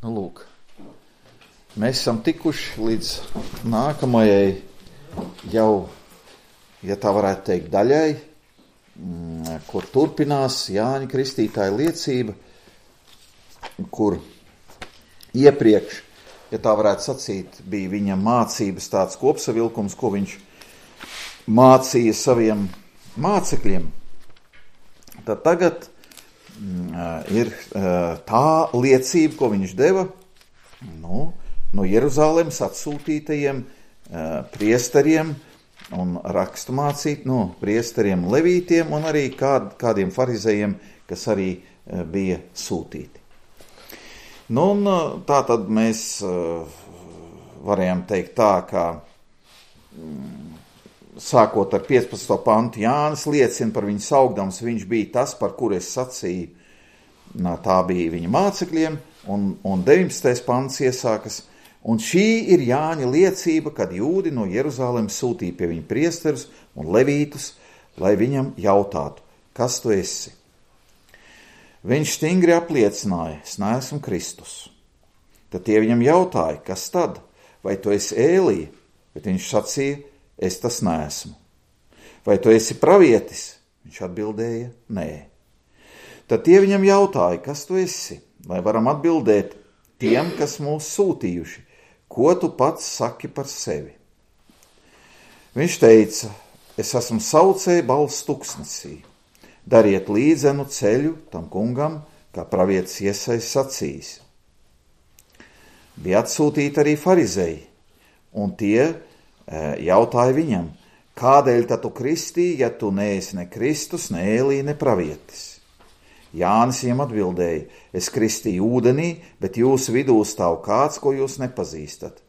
Nu, lūk, mēs esam tikuši līdz nākamajai jau, ja tā varētu teikt, daļai, kur turpinās Jāņa Kristītāja liecība, kur iepriekš, ja tā varētu sacīt, bija viņa mācības tāds kopsavilkums, ko viņš mācīja saviem mācekļiem. Tad tagad ir tā liecība, ko viņš deva no Jeruzalemes atsūtītajiem priesteriem un raksturmācīt priesteriem levītiem un arī kādiem farizējiem, kas arī bija sūtīti. Un tā tad mēs varējām teikt tā, ka sākot ar 15. pantu Jānis liecina par viņu saukdams, viņš bija tas, par kuru es sacīju, tā bija viņa mācekļiem, un 19. pants iesākas, un šī ir Jāņa liecība, kad jūdi no Jeruzalemes sūtīja pie viņa priesterus un levītus, lai viņam jautātu, kas tu esi? Viņš stingri apliecināja, es neesmu Kristus. Tad tie viņam jautāja, kas tad? Vai tu esi Ēlija? Bet viņš sacīja, es tas neesmu. Vai tu esi pravietis? Viņš atbildēja, nē. Tad tie viņam jautāja, kas tu esi? Lai varam atbildēt tiem, kas mūs sūtījuši, ko tu pats saki par sevi? Viņš teica, es esmu saucēja balss tuksnesī. Dariet līdzenu ceļu tam kungam, kā pravietis Iesais sacījis. Bija atsūtīti arī farizēji, un tie jautāja viņam, kādēļ tad tu kristīji, ja tu neesi ne Kristus, ne Ēlija, ne pravietis? Jānis viņam atbildēja, es kristīju ūdenī, bet jūsu vidū stāv kāds, ko jūs nepazīstat.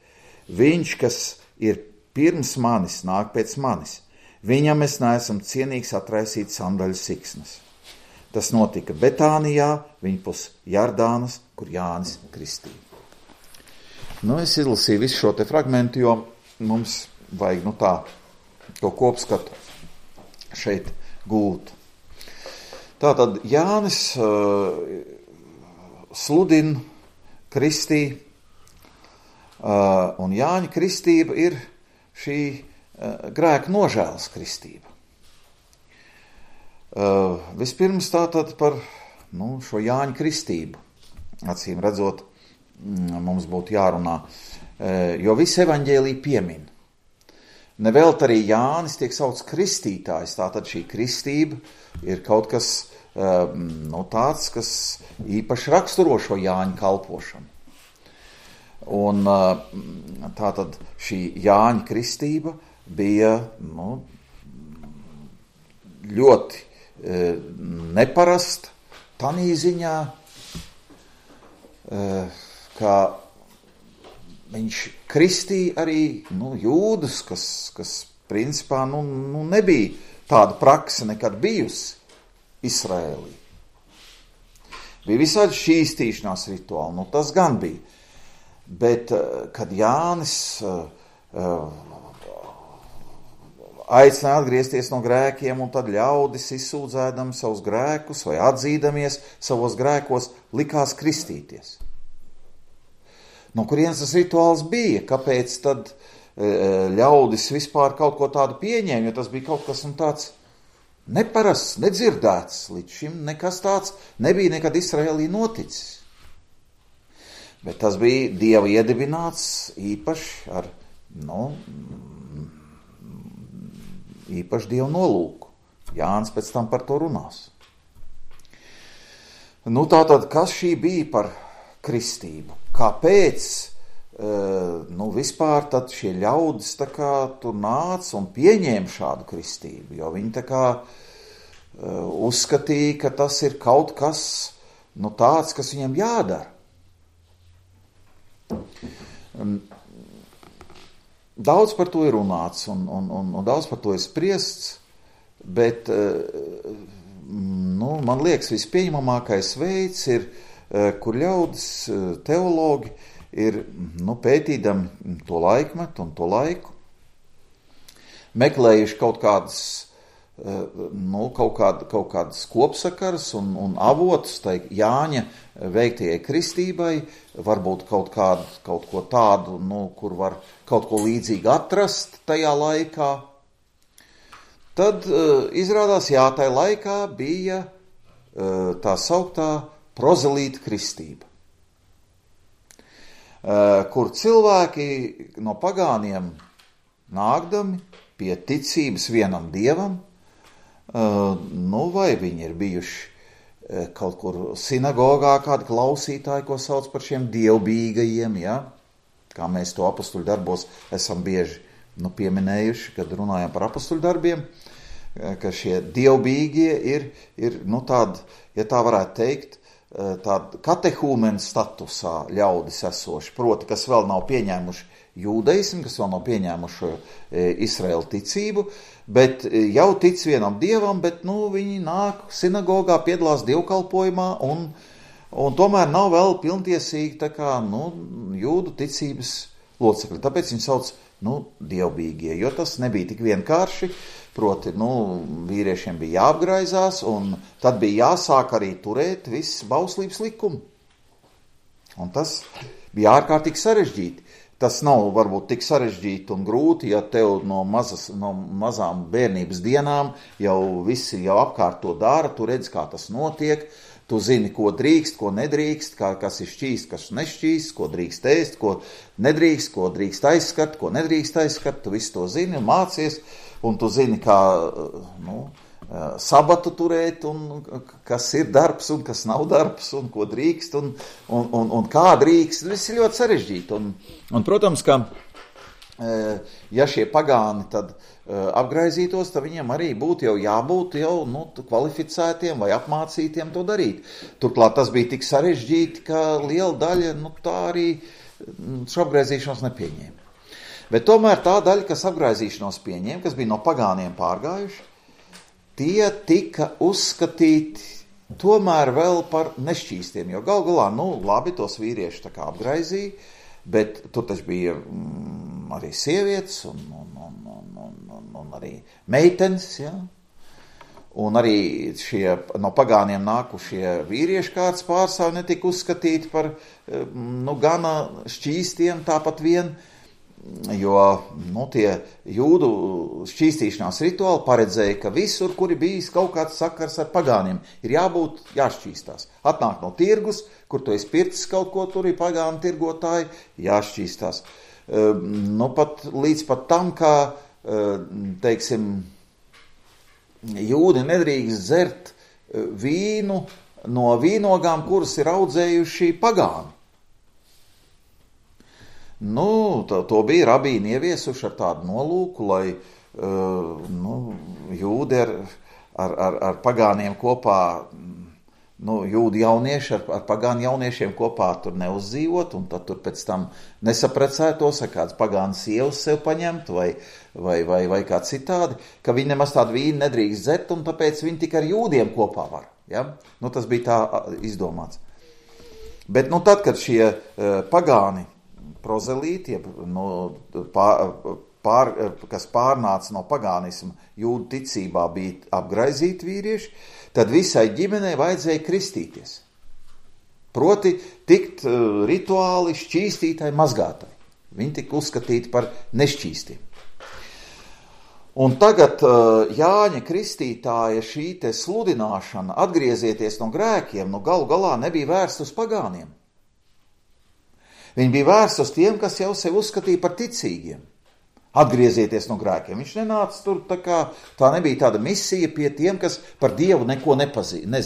Viņš, kas ir pirms manis, nāk pēc manis. Viņam es neesmu cienīgs atraisīt sandaļu siksnas. Tas notika Betānijā, viņpus Jardānas, kur Jānis kristīja. Es izlasīju visu šo te fragmentu, jo mums vajag to kopskatu šeit gūt. Tātad Jānis sludina kristī, un Jāņa kristība ir šī grēka nožēlas kristība. Vispirms tātad par šo Jāņa kristību, acīm redzot, mums būtu jārunā, jo visi evaņģēliji piemin. Nevelt arī Jānis tiek sauc kristītājs, tātad šī kristība ir kaut kas tāds, kas īpaši raksturo šo Jāņa kalpošanu. Un tātad šī Jāņa kristība bija ļoti neparasta tanī ziņā, ka viņš kristīja arī jūdus, kas principā nebija tāda prakse nekad bijusi Izraēlī. Bija visādi šķīstīšanās rituāli, tas gan bija. Bet, kad Jānis aicināja atgriezties no grēkiem, un tad ļaudis izsūdzēdami savus grēkus vai atzīdamies savos grēkos, likās kristīties. No kurienes tas rituāls bija? Kāpēc tad ļaudis vispār kaut ko tādu pieņēma, jo tas bija kaut kas tāds neparasts, nedzirdēts. Līdz šim nekas tāds nebija nekad Izraēlī noticis. Bet tas bija Dieva iedibināts īpaši ar, īpaši Dieva nolūku. Jānis pēc tam par to runās. Tātad, kas šī bija par kristību? Kāpēc, vispār tad šie ļaudis tur nāca un pieņēma šādu kristību? Jo viņi uzskatīja, ka tas ir kaut kas, tāds, kas viņam jādara. Daudz par to ir runāts un daudz par to ir spriests, bet man liekas vispieņemamākais veids ir, kur ļaudis teologi ir pētīdami to laikmetu un to laiku, meklējuši kaut kādas kaut kādas kopsakars un avotus tai Jāņa veiktajai kristībai, varbūt kaut ko tādu, kur var kaut ko līdzīgi atrast tajā laikā. Tad izrādās, tajā laikā bija tā sauktā prozelīta kristība, kur cilvēki no pagāniem nākdami pie ticības vienam dievam, vai viņi ir bijuši kaut kur sinagogā, kādi klausītāji, ko sauc par šiem dievbijīgajiem, kā mēs to apostuļu darbos esam bieži pieminējuši, kad runājam par apostuļu darbiem, ka šie dievbijīgie ir tādi, ja tā varētu teikt, tāda katehūmena statusā ļaudis esoši, proti, kas vēl nav pieņēmuši jūdaismu, kas vēl nav pieņēmuši Izraēlu ticību, bet jau tic vienam dievam, bet viņi nāk sinagogā, piedalās dievkalpojumā un tomēr nav vēl pilntiesīgi tā kā jūdu ticības locekļi. Tāpēc viņi sauc dievbijīgie, jo tas nebija tik vienkārši. Proti, vīriešiem bija jāapgraizās, un tad bija jāsāk arī turēt viss bauslības likumu. Un tas bija ārkārtīgi sarežģīti. Tas nav varbūt tik sarežģīti un grūti, ja tev no mazām bērnības dienām jau visi jau apkārt to dara, tu redz, kā tas notiek, tu zini, ko drīkst, ko nedrīkst, kas ir šķīst, kas nešķīst, ko drīkst ēst, ko nedrīkst, ko drīkst aizskart, ko nedrīkst aizskart, tu visu to zini un mācies, un tu zini, kā sabatu turēt, un kas ir darbs un kas nav darbs, un ko drīkst, un kā drīkst. Viss ir ļoti sarežģīti. Un protams, ka ja šie pagāni tad apgraizītos, tad viņiem arī būtu jābūt kvalificētiem vai apmācītiem to darīt. Turklāt tas bija tik sarežģīti, ka liela daļa tā arī šo apgraizīšanos nepieņēma. Bet tomēr tā daļa, kas apgraizīšanos pieņēma, kas bija no pagāniem pārgājuši, tie tika uzskatīti tomēr vēl par nešķīstiem, jo gal galā, labi, tos vīrieši tā kā apgraizīja, bet tur taču bija arī sievietes un arī meitenes, un arī šie no pagāniem nākušie vīrieši kāds pārstāvi netika uzskatīti par gana šķīstiem tāpat vien, jo tie jūdu šķīstīšanās rituāli paredzēja, ka visur, kur ir bijis kaut kāds sakars ar pagāniem, ir jāšķīstās. Atnāk no tirgus, kur tu esi pircis kaut ko, tur ir pagānu tirgotāji, jāšķīstās. Līdz pat tam, kā, teiksim, jūdi nedrīkst dzert vīnu no vīnogām, kuras ir audzējuši pagāni. To bija rabīni ieviesuši ar tādu nolūku, lai jūdi ar pagāniem kopā, jūdi jaunieši ar pagānu jauniešiem kopā tur neuzdzīvot, un tad tur pēc tam nesaprecētos, ar kāds pagānas sievas sev paņemt, vai kā citādi, ka viņi nemaz tādu vīnu nedrīkst dzert, un tāpēc viņi tikai ar jūdiem kopā var. Ja? Tas bija tā izdomāts. Bet tad, kad šie pagāni prozelīti, kas pārnāca no pagānisma jūdu ticībā, bija apgraizīti vīrieši, tad visai ģimenei vajadzēja kristīties. Proti tikt rituāli šķīstītai, mazgātai. Viņi tika uzskatīti par nešķīstiem. Un tagad Jāņa Kristītāja šī te sludināšana, atgriezieties no grēkiem, galu galā nebija vērsta uz pagāniem. Viņi bija vērsti uz tiem, kas jau sevi uzskatīja par ticīgiem. Atgriezieties no grēkiem. Viņš nenāca tur, tā nebija tāda misija pie tiem, kas par Dievu neko nezina.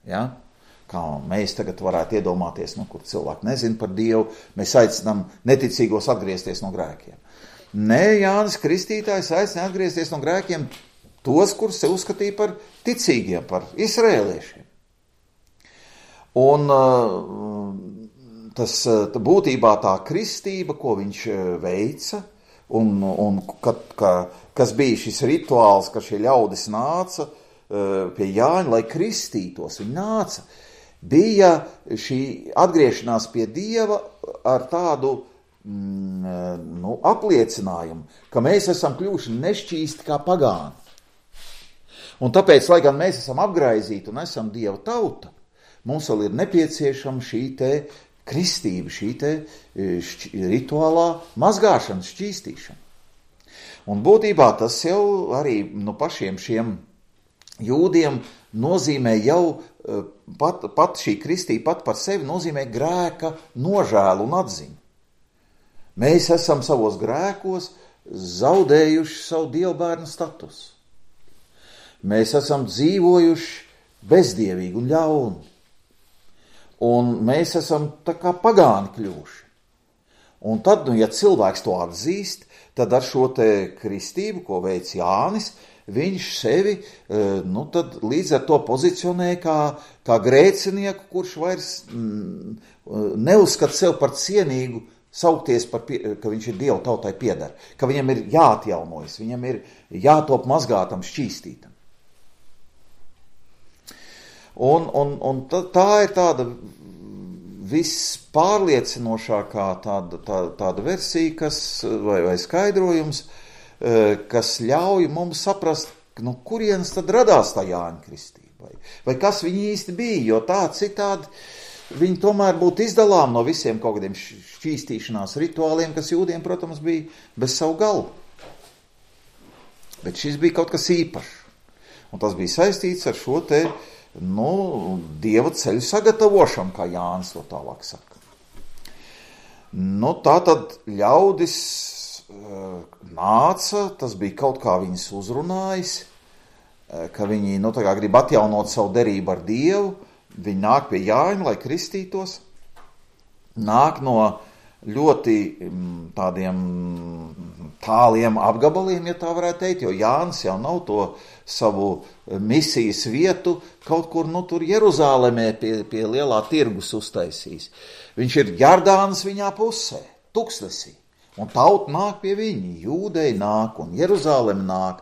Ja? Kā mēs tagad varētu iedomāties, kur cilvēki nezina par Dievu, mēs aicinām neticīgos atgriezties no grēkiem. Nē, Jānis Kristītājs aicina atgriezties no grēkiem tos, kurus sevi uzskatīja par ticīgiem, par izraēliešiem. Un tas būtībā tā kristība, ko viņš veica, un kas bija šis rituāls, ka šie ļaudis nāca pie Jāņa, lai kristītos, viņi nāca, bija šī atgriešanās pie Dieva ar tādu apliecinājumu, ka mēs esam kļuvuši nešķīsti kā pagāni. Un tāpēc, lai gan mēs esam apgraizīti un esam Dieva tauta, mums vēl ir nepieciešama šī te kristība, šī te rituālā mazgāšana, šķīstīšana. Un būtībā tas jau arī pašiem šiem jūdiem nozīmē jau pat šī kristība pat par sevi nozīmē grēka nožēlu un atziņu. Mēs esam savos grēkos zaudējuši savu dievbērnu statusu. Mēs esam dzīvojuši bezdievīgi un ļauni. Un mēs esam tā kā pagāni kļuvuši. Un tad, ja cilvēks to atzīst, tad ar šo te kristību, ko veic Jānis, viņš sevi, tad līdz ar to pozicionē kā grēcinieku, kurš vairs neuzskata sev par cienīgu saukties, ka viņš ir Dieva tautai pieder, ka viņam ir jāatjaunojas, viņam ir jātop mazgātam, šķīstītam. Un tā ir tāda vispārliecinošākā tāda versija, vai skaidrojums, kas ļauj mums saprast, kurienes tad radās tā Jāņa kristība, vai kas viņi īsti bija, jo tā citādi viņi tomēr būtu izdalām no visiem kaut kādiem šķīstīšanās rituāliem, kas jūdiem, protams, bija bez savu galu. Bet šis bija kaut kas īpašs, un tas bija saistīts ar šo te Dieva ceļu sagatavošanu, kā Jānis to tālāk saka. Tā tad ļaudis nāca, tas bija kaut kā viņus uzrunājis, ka viņi tā kā grib atjaunot savu derību ar Dievu, viņi nāk pie Jāņa, lai kristītos, nāk no ļoti tādiem tāliem apgabaliem, ja tā varētu teikt, jo Jānis jau nav to savu misijas vietu kaut kur, tur Jeruzālemē pie lielā tirgus uztaisījis. Viņš ir Jardānas viņā pusē, tuksnesī, un tauta nāk pie viņa, jūdeji nāk un Jeruzālem nāk,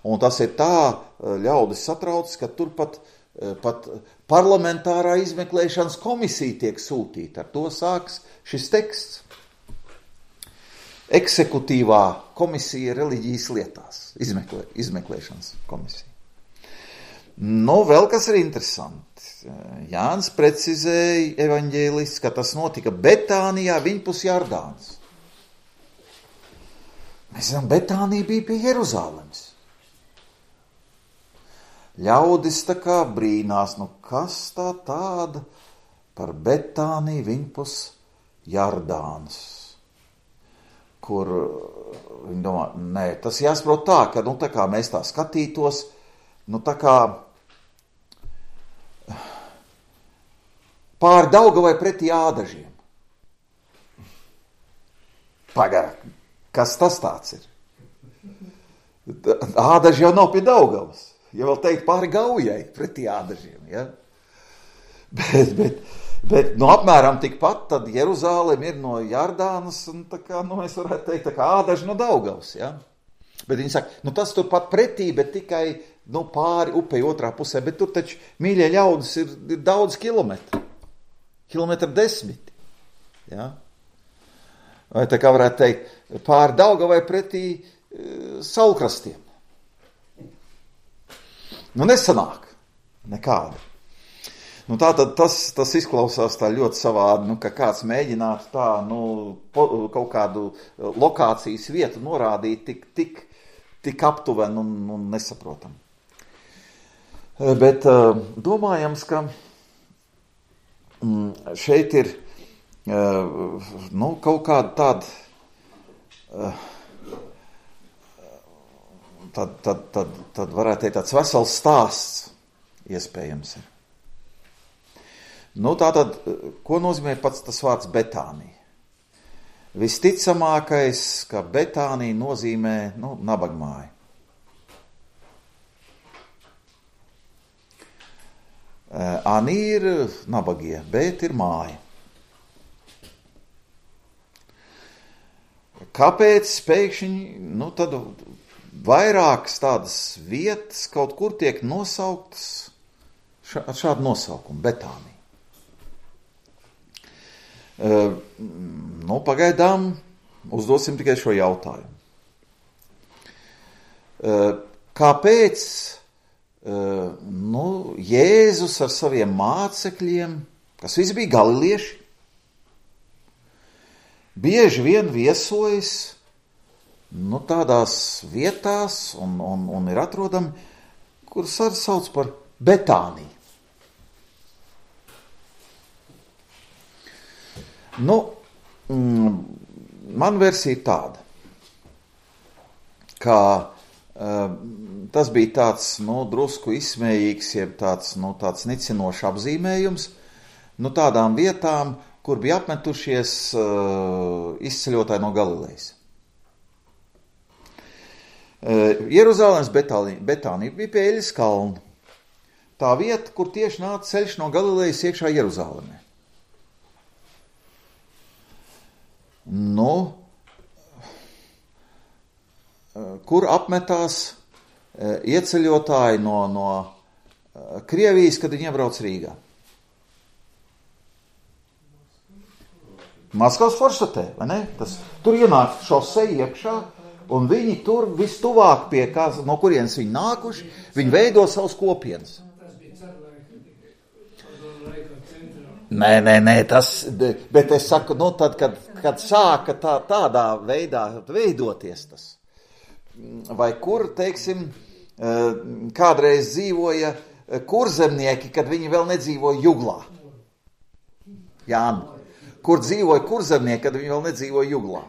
un tas ir tā ļaudis satraucis, ka tur pat parlamentārā izmeklēšanas komisija tiek sūtīta. Ar to sāks šis teksts. Eksekutīvā komisija reliģijas lietās, izmeklēšanas komisija. Vēl kas ir interesanti. Jānis precizēja evaņģēlists, ka tas notika Betānijā, viņpus Jardānas. Mēs zinām, Betānija bija pie Jeruzālemes. Ļaudis tā kā brīnās, kas tā tāda par Betāniju viņpus Jardānas, kur viņi domā, tas jāsaprot tā, ka tā kā mēs tā skatītos, tā kā pār Daugavai pretī Ādažiem. Pagaid, kas tas tāds ir? Ādaži jau nav pie Daugavas. Ja vēl teikt pāri Gaujai pretī Ādažiem, ja? Bet apmēram tikpat, tad Jeruzālem ir no Jardānas, un tā kā, mēs varētu teikt, tā kā Ādaži no Daugavas, ja? Bet viņi saka, tas turpat pretī, bet tikai, pāri upei otrā pusē, bet tur taču, mīļie ļaudis, ir daudz kilometri, 10 km, ja? Vai tā kā varētu teikt, pāri Daugavai pretī saulkrastiem. Nesanāk nekādi. Tātad tas izklausās tā ļoti savādi, ka kāds mēģinātu tā, kaut kādu lokācijas vietu norādīt tik aptuveni un nesaprotam. Bet domājams, ka šeit ir kaut kāda tāda tad varētu teikt tāds vesels stāsts iespējams ir. Tātad, ko nozīmē pats tas vārds Betānija? Visticamākais, ka Betānija nozīmē, nabagmāju. Ani ir nabagie, bet ir māja. Kāpēc pēkšņi, tad vairākas tādas vietas kaut kur tiek nosauktas ar šādu nosaukumu, Betānija. Pagaidām uzdosim tikai šo jautājumu. Kāpēc Jēzus ar saviem mācekļiem, kas visi bija galilieši, bieži vien viesojas tādās vietās un ir atrodami, kuras arī sauc par Betāniju. Man versija ir tāda, ka tas bija tāds, drusku izsmējīgs, jeb tāds nicinošs apzīmējums, tādām vietām, kur bija apmetušies izceļotāji no Galilejas. Jeruzalemes Betānija bija pie Eļas kalna. Tā vieta, kur tieši nāca ceļš no Galilejas iekšā Jeruzalemē. Kur apmetās ieceļotāji no Krievijas, kad viņi iebrauc Rīgā? Maskavas forštatē, vai ne? Tur ienāk šoseja iekšā, un viņi tur vistuvāk pie no kurienes viņi nākuši, viņi veido savus kopienas. Nē, bet es saku, tad, kad sāka tādā veidā veidoties tas, vai kur, teiksim, kādreiz dzīvoja kurzemnieki, kad viņi vēl nedzīvoja Juglā. Jāni. Kur dzīvoja kurzemnieki, kad viņi vēl nedzīvoja Juglā?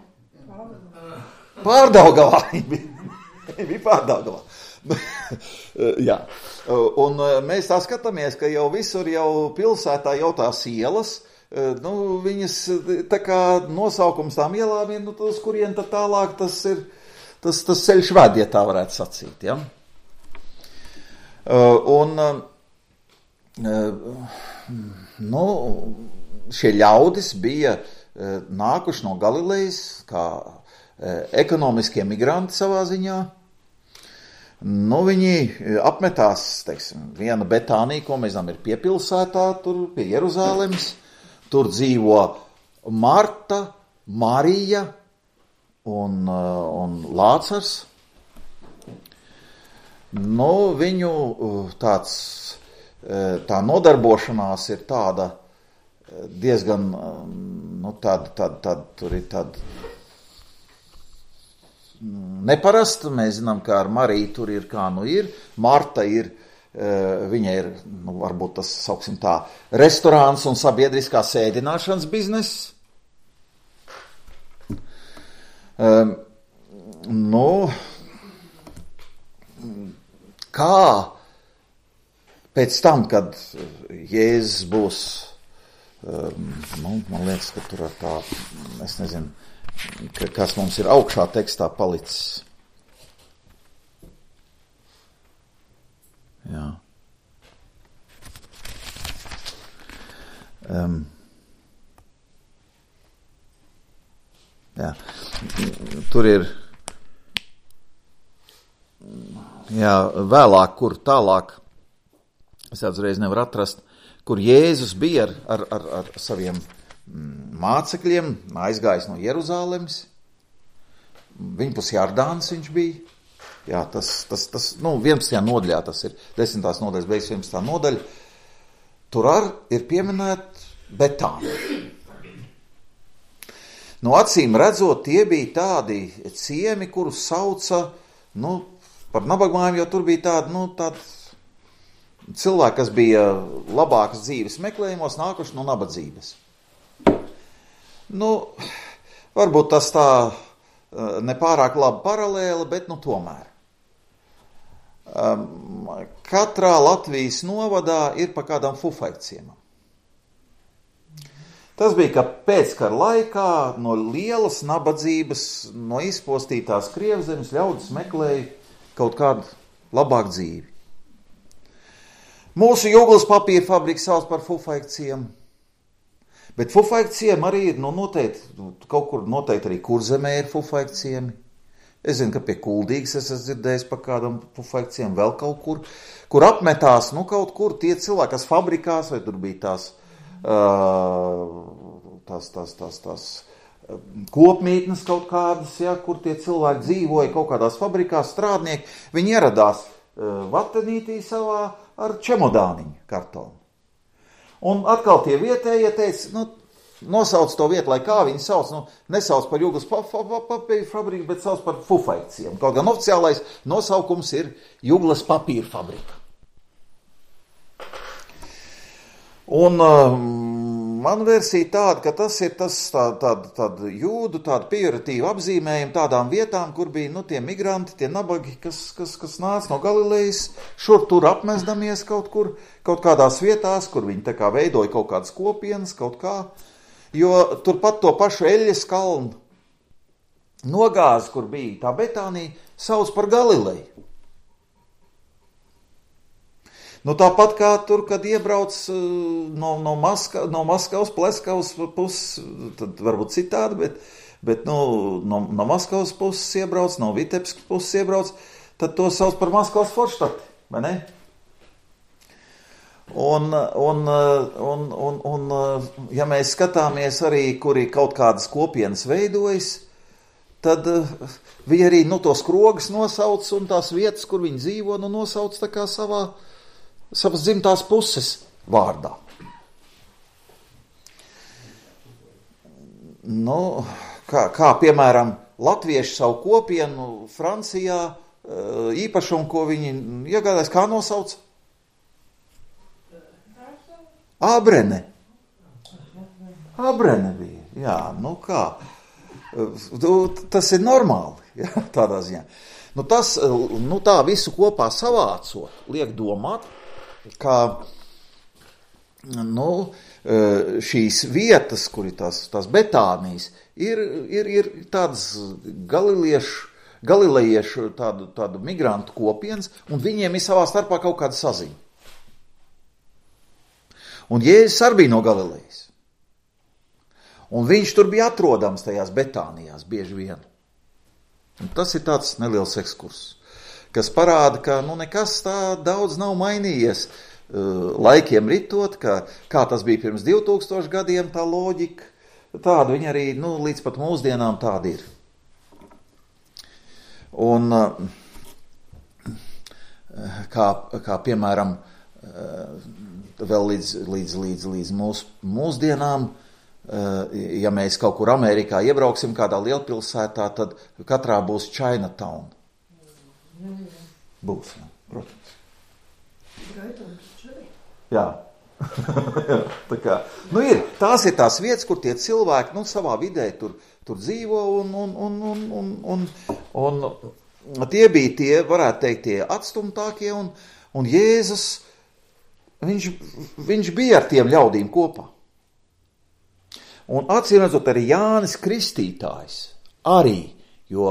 Pārdaugavā. Viņi bija Pārdaugavā. Jā. Un mēs tā skatāmies, ka jau visur jau pilsētā jau tās ielas, viņas tā kā nosaukums tām ielām ir, uz kurien tad tālāk tas ir, tas ceļš ved, ja tā varētu sacīt, ja? Šie ļaudis bija nākuši no Galilejas kā ekonomiskie migranti savā ziņā. Viņi apmetās, teiksim, viena Betānija, ko mēs zinām, ir piepilsētā, tur pie Jeruzalemes. Tur dzīvo Marta, Marija un Lācars. Viņu tā nodarbošanās ir tāda diezgan, tur ir tāda neparasta. Mēs zinām, ka ar Mariju tur ir kā ir. Marta ir, viņa ir, varbūt tas, sauksim tā, restorāns un sabiedriskā sēdināšanas bizness. Kā pēc tam, kad Jēzus būs, man liekas, ka tur ar tā, es nezinu, kas mums ir augšā tekstā palicis. Jā. Jā. Tur ir, jā, vēlāk, kur tālāk, es uzreiz nevaru atrast, kur Jēzus bija ar saviem mācekļiem, aizgājis no Jeruzalemes. Viņpus Jardānas viņš bija. Jā, tas 11. nodaļā tas ir, 10. nodaļas beigas 11. nodaļa. Tur ir pieminēta Betānija. Acīm redzot, tie bija tādi ciemi, kurus sauca, par nabagmājiem, jo tur bija tādi cilvēki, kas bija labākas dzīves meklējumos, nākuši no nabadzības. Varbūt tas tā nepārāk laba paralēle, bet tomēr. Katrā Latvijas novadā ir pa kādam fufaikciemam. Tas bija, ka pēckara laikā no lielas nabadzības, no izpostītās Krievzemes ļaudis meklēja kaut kādu labāku dzīvi. Mūsu Juglas papīra fabrika sauc par fufaikciemu. Bet fufaikciemi arī ir, noteikti, kaut kur noteikti arī Kurzemē ir fufaikciemi. Es zinu, ka pie Kuldīgas es esmu dzirdējis par kādam fufaikciemu vēl kaut kur, kur apmetās, kaut kur tie cilvēki, kas fabrikās, vai tur bija tās kopmītnes kaut kādas, ja, kur tie cilvēki dzīvoja kaut kādās fabrikās, strādnieki, viņi ieradās vatenītī savā ar čemodāniņu kartonu. Un atkal tie vietējie teica, nosauc to vietu, lai kā viņi sauc, nesauc par Juglas papīra fabriku, bet sauc par Fufaiciem. Kaut gan oficiālais nosaukums ir Juglas papīra fabrika. Un man versija tāda, ka tas ir tāda jūdu, tāda pejoratīva apzīmējuma tādām vietām, kur bija tie migranti, tie nabagi, kas nāca no Galilejas, šur tur apmesdamies kaut kādās vietās, kur viņi tā kā veidoja kaut kādas kopienas, kaut kā, jo turpat to pašu Eļas kalnu nogāzi, kur bija tā Betānija, sauc par Galileju. Tāpat kā tur, kad iebrauc no Maskavas, Pleskavas puses, tad varbūt citādi, bet no Maskavas puses iebrauc, no Vitebskas puses iebrauc, tad to sauc par Maskavas Forštati, vai ne? Un ja mēs skatāmies arī, kuri kaut kādas kopienas veidojas, tad viņi arī tos krogas nosauc un tās vietas, kur viņi dzīvo, nosauc tā kā savas dzimtās puses vārdā. Kā piemēram, latvieši savu kopienu Francijā īpašumu, ko viņi iegādājas, kā nosauc? Abrene. Abrene bija, jā, kā. Tas ir normāli, jā, tādā ziņā. Tā visu kopā savācot, liek domāt, ka šīs vietas, kur ir tās Betānijas, ir tādas galilejiešu tādu migrantu kopienas, un viņiem ir savā starpā kaut kāda saziņa. Un Jēzus arī bija no Galilejas. Un viņš tur bija atrodams tajās Betānijās bieži vien. Un tas ir tāds neliels ekskurss, kas parāda, ka nekas tā daudz nav mainījies laikiem ritot, kā tas bija pirms 2000 gadiem, tā loģika, tāda viņa arī līdz pat mūsdienām tāda ir. Un kā piemēram, vēl līdz mūsdienām, ja mēs kaut kur Amerikā iebrauksim kādā lielpilsētā, tad katrā būs Chinatown. Būs, protams. Jā. Tās ir tās vietas, kur tie cilvēki savā vidē tur dzīvo un tie bija tie, varētu teikt, tie atstumtākie un Jēzus, viņš bija ar tiem ļaudīm kopā. Un acīm redzot arī Jānis Kristītājs arī, jo,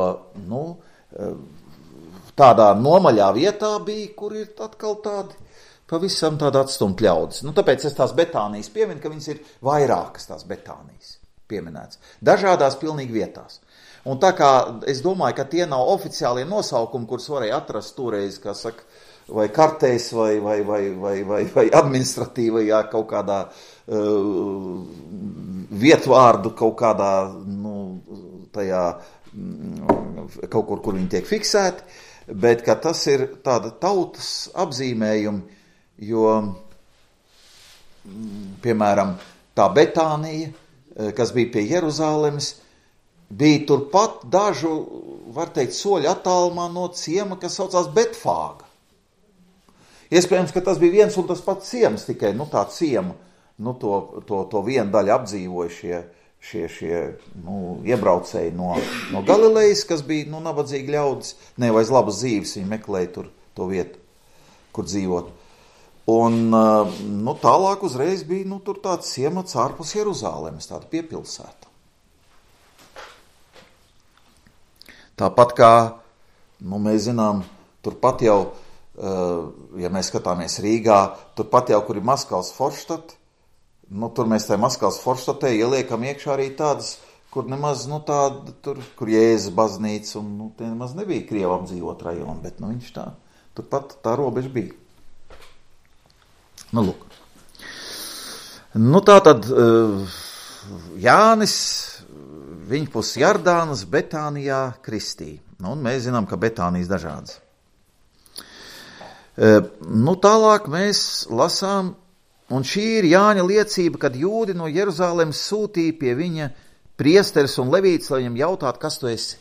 tādā nomaļā vietā bija, kur ir atkal pavisam tādi atstumt ļaudis. Tāpēc es tās Betānijas pieminu, ka viņas ir vairākas tās Betānijas pieminētas. Dažādās pilnīgi vietās. Un tā kā es domāju, ka tie nav oficiālie nosaukumi, kurus varēja atrast toreiz, kā saka, vai kartēs, vai administratīvajā kaut kādā vietvārdu, kaut kādā, tajā, kaut kur viņi tiek fiksēti, bet ka tas ir tāda tautas apzīmējumi, jo, piemēram, tā Betānija, kas bija pie Jeruzālemes, bija turpat dažu, var teikt, soļu attālumā no ciema, kas saucās Betfāga. Iespējams, ka tas bija viens un tas pats ciems, tikai, tā ciema, to vienu daļu apdzīvoja šie iebraucēji no Galilejas, kas bija, nabadzīgi ļaudis, nevaiz labas dzīves, viņi meklēja tur to vietu, kur dzīvot. Un, tālāk uzreiz bija, tur tāds ciemats ārpus Jeruzālemes, tāda piepilsēta. Tāpat kā, mēs zinām, turpat jau, ja mēs skatāmies Rīgā, turpat jau, kur ir Maskavas Forštata, tur mēs tajā Maskavas Forštatē ieliekam iekšā arī tādas, kur nemaz, kur Jēzus baznīca, un, tie nemaz nebija Krievu apdzīvot rajonu, bet, viņš turpat tā robeža bija. Lūk. Tātad Jānis, viņpus Jardānas, Betānijā kristīja. Un mēs zinām, ka Betānijas dažādas. Tālāk mēs lasām, un šī ir Jāņa liecība, kad jūdi no Jeruzalemes sūtīja pie viņa priesteris un levīts, lai viņam jautātu, kas tu esi.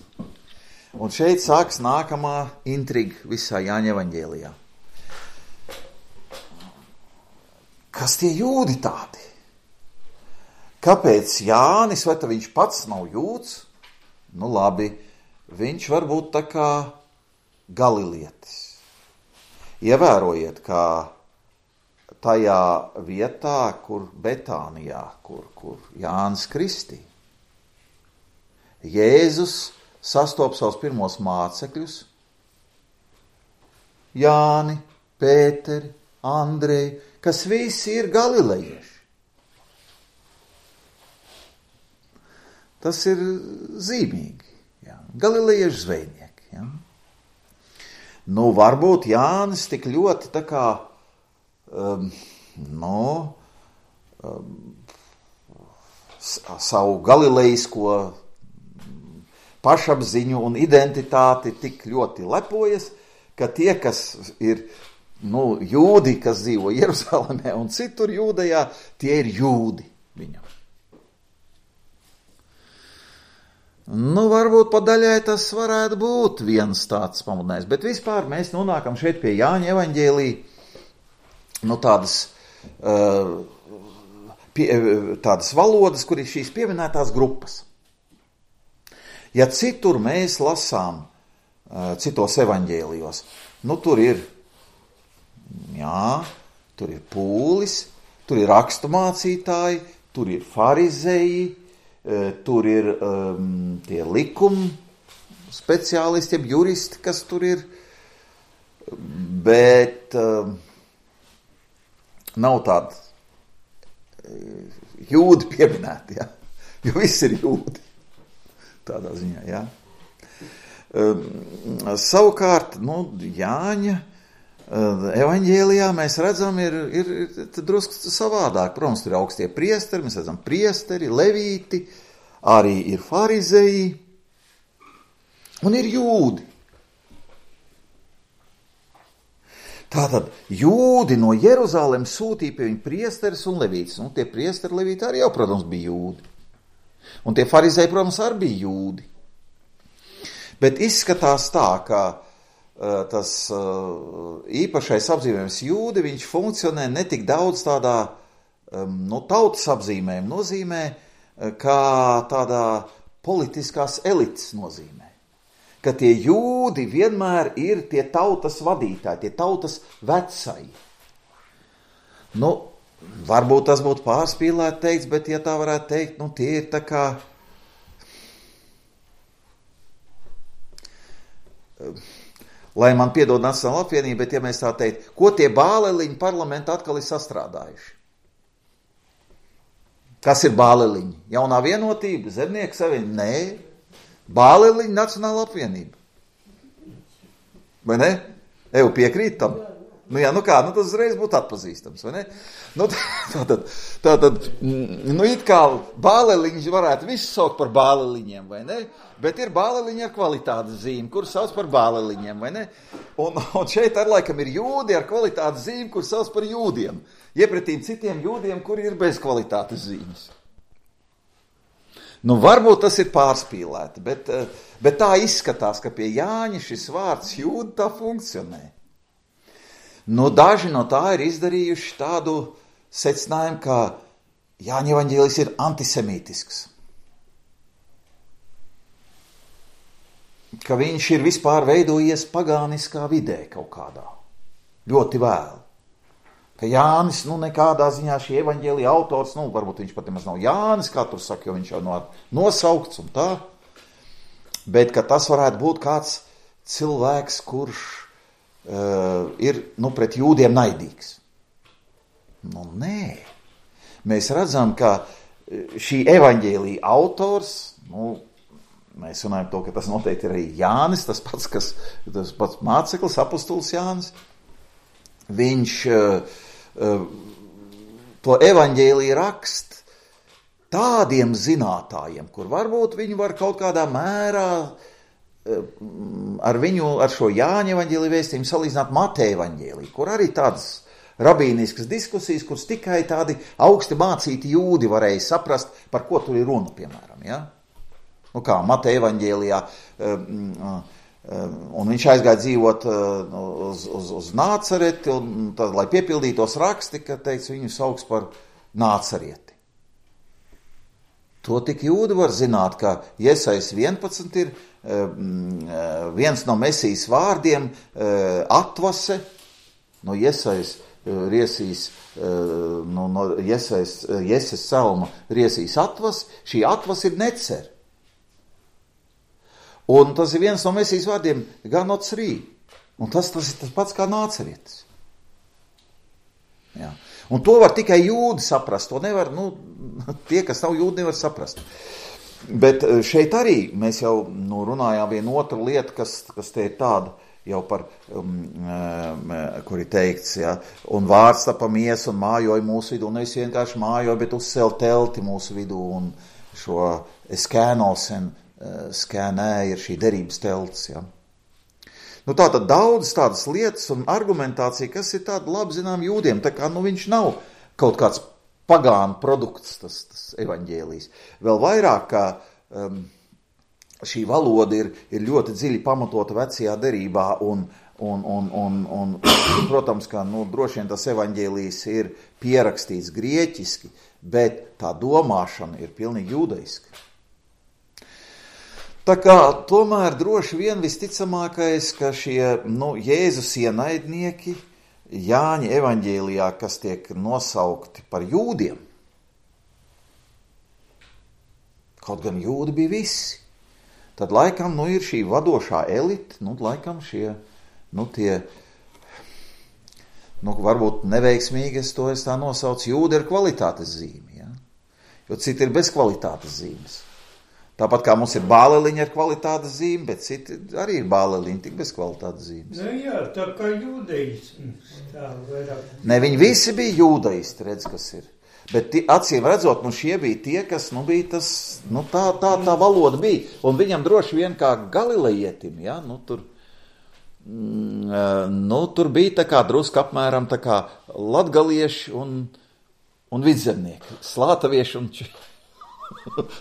Un šeit sāks nākamā intriga visā Jāņa evaņģēlijā. Kas tie jūdi tādi? Kāpēc Jānis, vai tā viņš pats nav jūds? Labi, viņš var būt tā kā galilietis. Ievērojiet, kā tajā vietā, kur Betānijā, kur Jānis kristīja. Jēzus sastop savus pirmos mācekļus, Jāni, Pēteri, Andreju, kas visi ir galilejieši. Tas ir zīmīgi. Jā. Galilejiešu zvejnieki. Jā. Varbūt Jānis tik ļoti tā kā, savu galilejisko pašapziņu un identitāti tik ļoti lepojas, ka tie, kas ir jūdi, kas dzīvo Jeruzalemē un citur Jūdejā, tie ir jūdi viņam. Varbūt pa daļai tas varētu būt viens tāds pamudinājums, bet vispār mēs nonākam šeit pie Jāņa evaņģēlī, tādas valodas, kur ir šīs pieminētās grupas. Ja citur mēs lasām, citos evaņģēlijos, tur ir pūlis, tur ir raksturmācītāji, tur ir farizeji, tur ir tie likuma speciālisti, juristi, kas tur ir, bet nav tādi jūdi pieminēti, ja? Jo viss ir jūdi, tādā ziņā, ja? Savukārt, Jāņa evaņģēlijā mēs redzam, ir drusku savādāk. Protams, tur ir augstie priesteri, mēs redzam priesteri, levīti, arī ir farizeji un ir jūdi. Tātad jūdi no Jeruzalemes sūtīja pie viņa priesteris un levītis. Tie priesteri, levīti arī jau, protams, bija jūdi. Un tie farizeji, protams, arī bija jūdi. Bet izskatās tā, ka tas īpašais apzīmējums jūdi, viņš funkcionē ne tik daudz tādā tautas apzīmējuma nozīmē, kā tādā politiskās elites nozīmē. Ka tie jūdi vienmēr ir tie tautas vadītāji, tie tautas vecai. Varbūt tas būtu pārspīlēt teikts, bet ja tā varētu teikt, tie ir tā kā lai man piedod Nacionāla apvienība, bet ja mēs tā teikt, ko tie bāleliņi parlamenta atkal ir sastrādājuši? Kas ir bāleliņi? Jaunā vienotība, zemnieku savienība? Nē, bāleliņi Nacionāla apvienība. Vai ne? Eju piekrīt tam? Tas uzreiz būtu atpazīstams, vai ne? Tātad, it kā bāleliņš varētu visu saukt par bāleliņiem, vai ne? Bet ir bāleliņi ar kvalitātes zīmi, kur sauc par bāleliņiem, vai ne? Un šeit ar laikam ir jūdi ar kvalitātes zīmi, kur sauc par jūdiem. Iepretīm citiem jūdiem, kuri ir bez kvalitātes zīmes. Varbūt tas ir pārspīlēti, bet tā izskatās, ka pie Jāņa šis vārds jūdi tā funkcionē. Daži no tā ir izdarījuši tādu secinājumu, ka Jāņa evaņģēlijs ir antisemītisks. Ka viņš ir vispār veidojies pagāniskā vidē kaut kādā. Ļoti vēl. Ka Jānis, nekādā ziņā šī evaņģēlija autors, varbūt viņš pat nemaz nav Jānis, kā tur saka, jo viņš jau nosaukts un tā. Bet, ka tas varētu būt kāds cilvēks, kurš ir pret jūdiem naidīgs. Nē. Mēs redzam, ka šī evaņģēlija autors, mēs runājam to, ka tas noteikti ir arī Jānis, tas pats māceklis, apostols Jānis. Viņš to evaņģēliju rakst tādiem zinātājiem, kur varbūt viņi var kaut kādā mērā ar šo Jāņa evaņģēlija vēstījumu salīdzināt Mateja evaņģēliju, kur arī tādas rabīniskas diskusijas, kuras tikai tādi augsti mācīti jūdi varēja saprast, par ko tur ir runa, piemēram. Ja? Nu kā, Mateja evaņģēlijā, un viņš aizgāja dzīvot uz Nācareti, un tad, lai piepildītos raksti, ka teica, viņu sauks par Nācarieti. To tik jūdi var zināt, ka Iesajas 11 ir viens no Mesijas vārdiem atvase, no Iesajas riesīs, no Ieses salma riesīs atvas, šī atvas ir necer. Un tas ir viens no Mesijas vārdiem ganocrī, un tas ir tas pats kā Nācarietis. Jā. Un to var tikai jūdi saprast, to nevar, tie, kas nav jūdi, nevar saprast. Bet šeit arī mēs jau runājām vienu otru lietu, kas te ir tāda jau par, kur ir teikts, ja, un vārds tapa miesa un mājoja mūsu vidū, un nevis vienkārši mājoja, bet uzcēl telti mūsu vidū, un šo skēnosen, skēnē ir šī derības telts, ja. Tātad daudz tādas lietas un argumentācija, kas ir tāda labi zinām jūdiem, tā kā viņš nav kaut kāds pagānu produkts, tas evaņģēlijs. Vēl vairāk, kā šī valoda ir ļoti dziļi pamatota vecajā derībā, un protams, ka droši vien tas evaņģēlijs ir pierakstīts grieķiski, bet tā domāšana ir pilnīgi jūdaiska. Tā kā tomēr droši vien visticamākais, ka šie Jēzus ienaidnieki Jāņa evaņģēlijā, kas tiek nosaukti par jūdiem, kaut gan jūdi bija visi, tad laikam ir šī vadošā elite, laikam šie, tie, varbūt neveiksmīgi es tā nosaucu, jūdi ir kvalitātes zīme, ja? Jo citi ir bez kvalitātes zīmes. Tāpat kā mums ir bāleliņa ar kvalitātes zīmi, bet citi arī ir bāleliņi, tik bez kvalitātes zīmes. Jā, tā kā jūdaisms. Ne, viņi visi bija jūdaisti, redz, kas ir. Bet acīm redzot, šie bija tie, kas, bija tas, tā valoda bija. Un viņam droši vien kā galilejietim, ja, tur bija tā kā druska apmēram tā kā latgalieši un vidzemnieki, slātavieši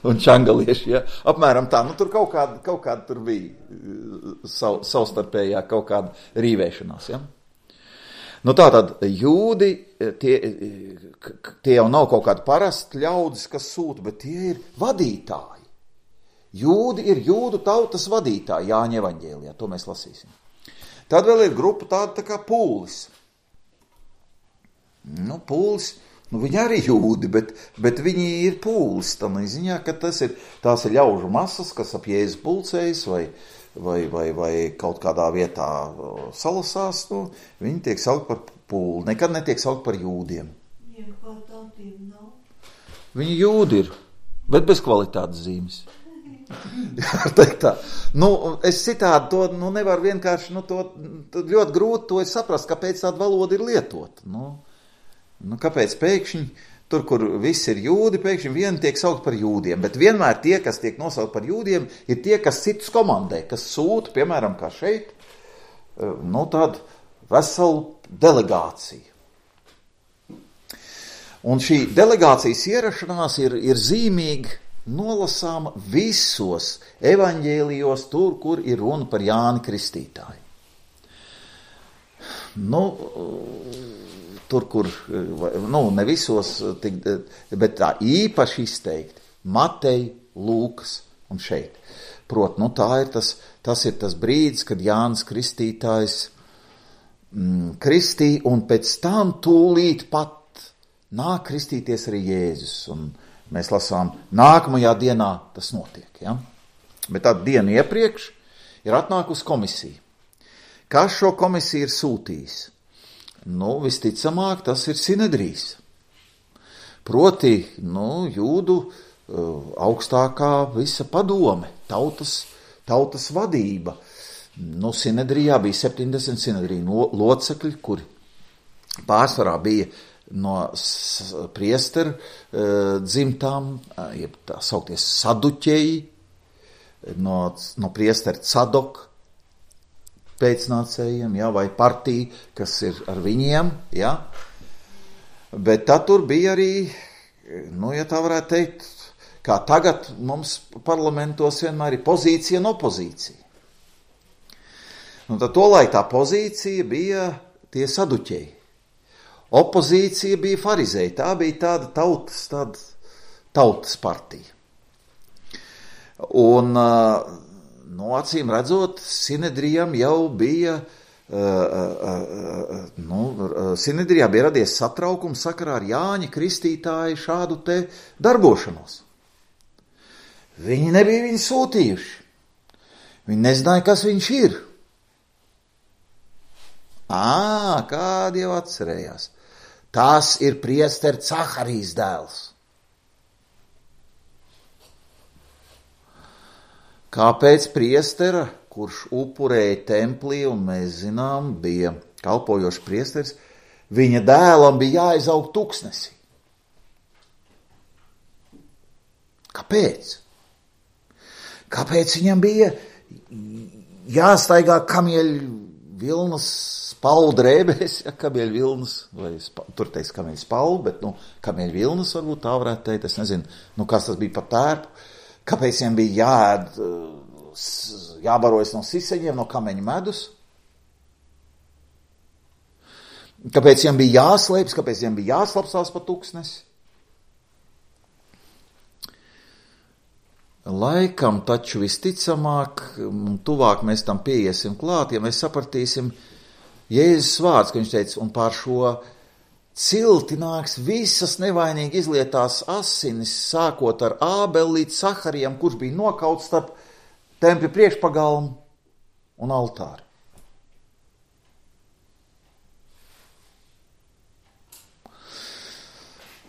un čangalieši, ja? Apmēram tā, tur kaut kāda tur bija savstarpējā kaut kāda rīvēšanās, ja? Tātad jūdi, tie jau nav kaut kādi parasti ļaudis, kas sūta, bet tie ir vadītāji. Jūdi ir jūdu tautas vadītāji Jāņa evaņģēlijā, to mēs lasīsim. Tad vēl ir grupa tāda tā kā pūlis. Pūlis, viņi arī jūdi, bet viņi ir pūlis, tādā ziņā, ka tās ir ļaužu masas, kas ap Jēzu pulcējas vai kaut kādā vietā salasās, viņi tiek saukt par pūli, nekad netiek saukt par jūdiem. Viņi jūdi ir, bet bez kvalitātes zīmes. Es citādi to nevaru vienkārši, to ļoti grūti to saprast, kāpēc tāda valoda ir lietota. Kāpēc pēkšņi, tur, kur viss ir jūdi, pēkšņi vieni tiek saukt par jūdiem, bet vienmēr tie, kas tiek nosaukt par jūdiem, ir tie, kas citus komandē, kas sūta, piemēram, kā šeit, tādu veselu delegāciju. Un šī delegācijas ierašanās ir zīmīgi nolasāma visos evaņģēlijos, tur, kur ir runa par Jāni Kristītāju. Tur, kur, ne visos, bet tā īpaši izteikti, Matei, Lūkas un šeit. Prot, tas ir tas brīdis, kad Jānis Kristītājs kristīja, un pēc tam tūlīt pat nāk kristīties arī Jēzus, un mēs lasām, nākamajā dienā tas notiek, ja? Bet tā diena iepriekš ir atnākusi komisija. Kas šo komisiju ir sūtījis? Visticamāk, tas ir Sinedrijs. Proti, jūdu augstākā visa padome, tautas vadība. Sinedrijā bija 70 Sinedrija locekļi, kuri pārsvarā bija no priesteru dzimtām, jeb tā saukties saduķeji, no priestera Cadoka pēcnācējiem, ja, vai partija, kas ir ar viņiem, ja. Bet tad tur bija arī, ja tā varētu teikt, kā tagad mums parlamentos vienmēr ir pozīcija un opozīcija. Tad tolaik tā pozīcija bija tie saduķeji. Opozīcija bija farizēji, tā bija tāda tautas partija. Un, acīm redzot, Sinedrijam jau bija, Sinedrijā bija radies satraukums sakarā ar Jāņa Kristītāja šādu te darbošanos. Viņi nebija viņu sūtījuši. Viņi nezināja, kas viņš ir. Kādi jau atcerējās. Tas ir priestera Caharijas dēls. Kāpēc priestera, kurš upurēja templī, un mēs zinām, bija kalpojošs priesteris, viņa dēlam bija jāizaug tuksnesī? Kāpēc? Kāpēc viņam bija jāstaigā kamieļu vilnas spalvu drēbēs, ja kamieļu vilnas, vai tur teiks kamieļu spalvu, bet, kamieļu vilnas varbūt tā varētu teikt, es nezinu, kas tas bija par tērpu, kāpēc viņam bija jābarojas no siseņiem, no kameņu medus, kāpēc viņam bija jāslēpjas, kāpēc viņam bija jāslapstās pa tuksnesi. Laikam taču visticamāk, un tuvāk mēs tam pieiesim klāt, ja mēs sapratīsim Jēzus vārds, ka viņš teica, un pār šo cilti nāks visas nevainīgi izlietās asinis, sākot ar Ābeli līdz Saharijam, kurš bija nokauts starp tempļa priekšpagalmu un altāri.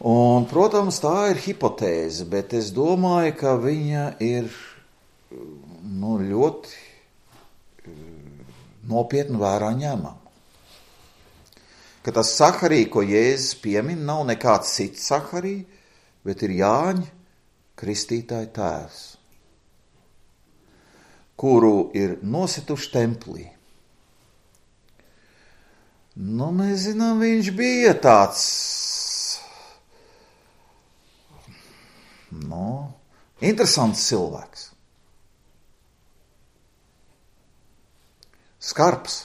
Un, protams, tā ir hipotēze, bet es domāju, ka viņa ir ļoti nopietni vērā ņemama. Ka tas Saharija, ko Jēzus piemin, nav nekāds cits Saharija, bet ir Jāņa Kristītāja tēvs, kuru ir nosituši templī. Mēs zinām, viņš bija tāds interesants cilvēks. Skarbs.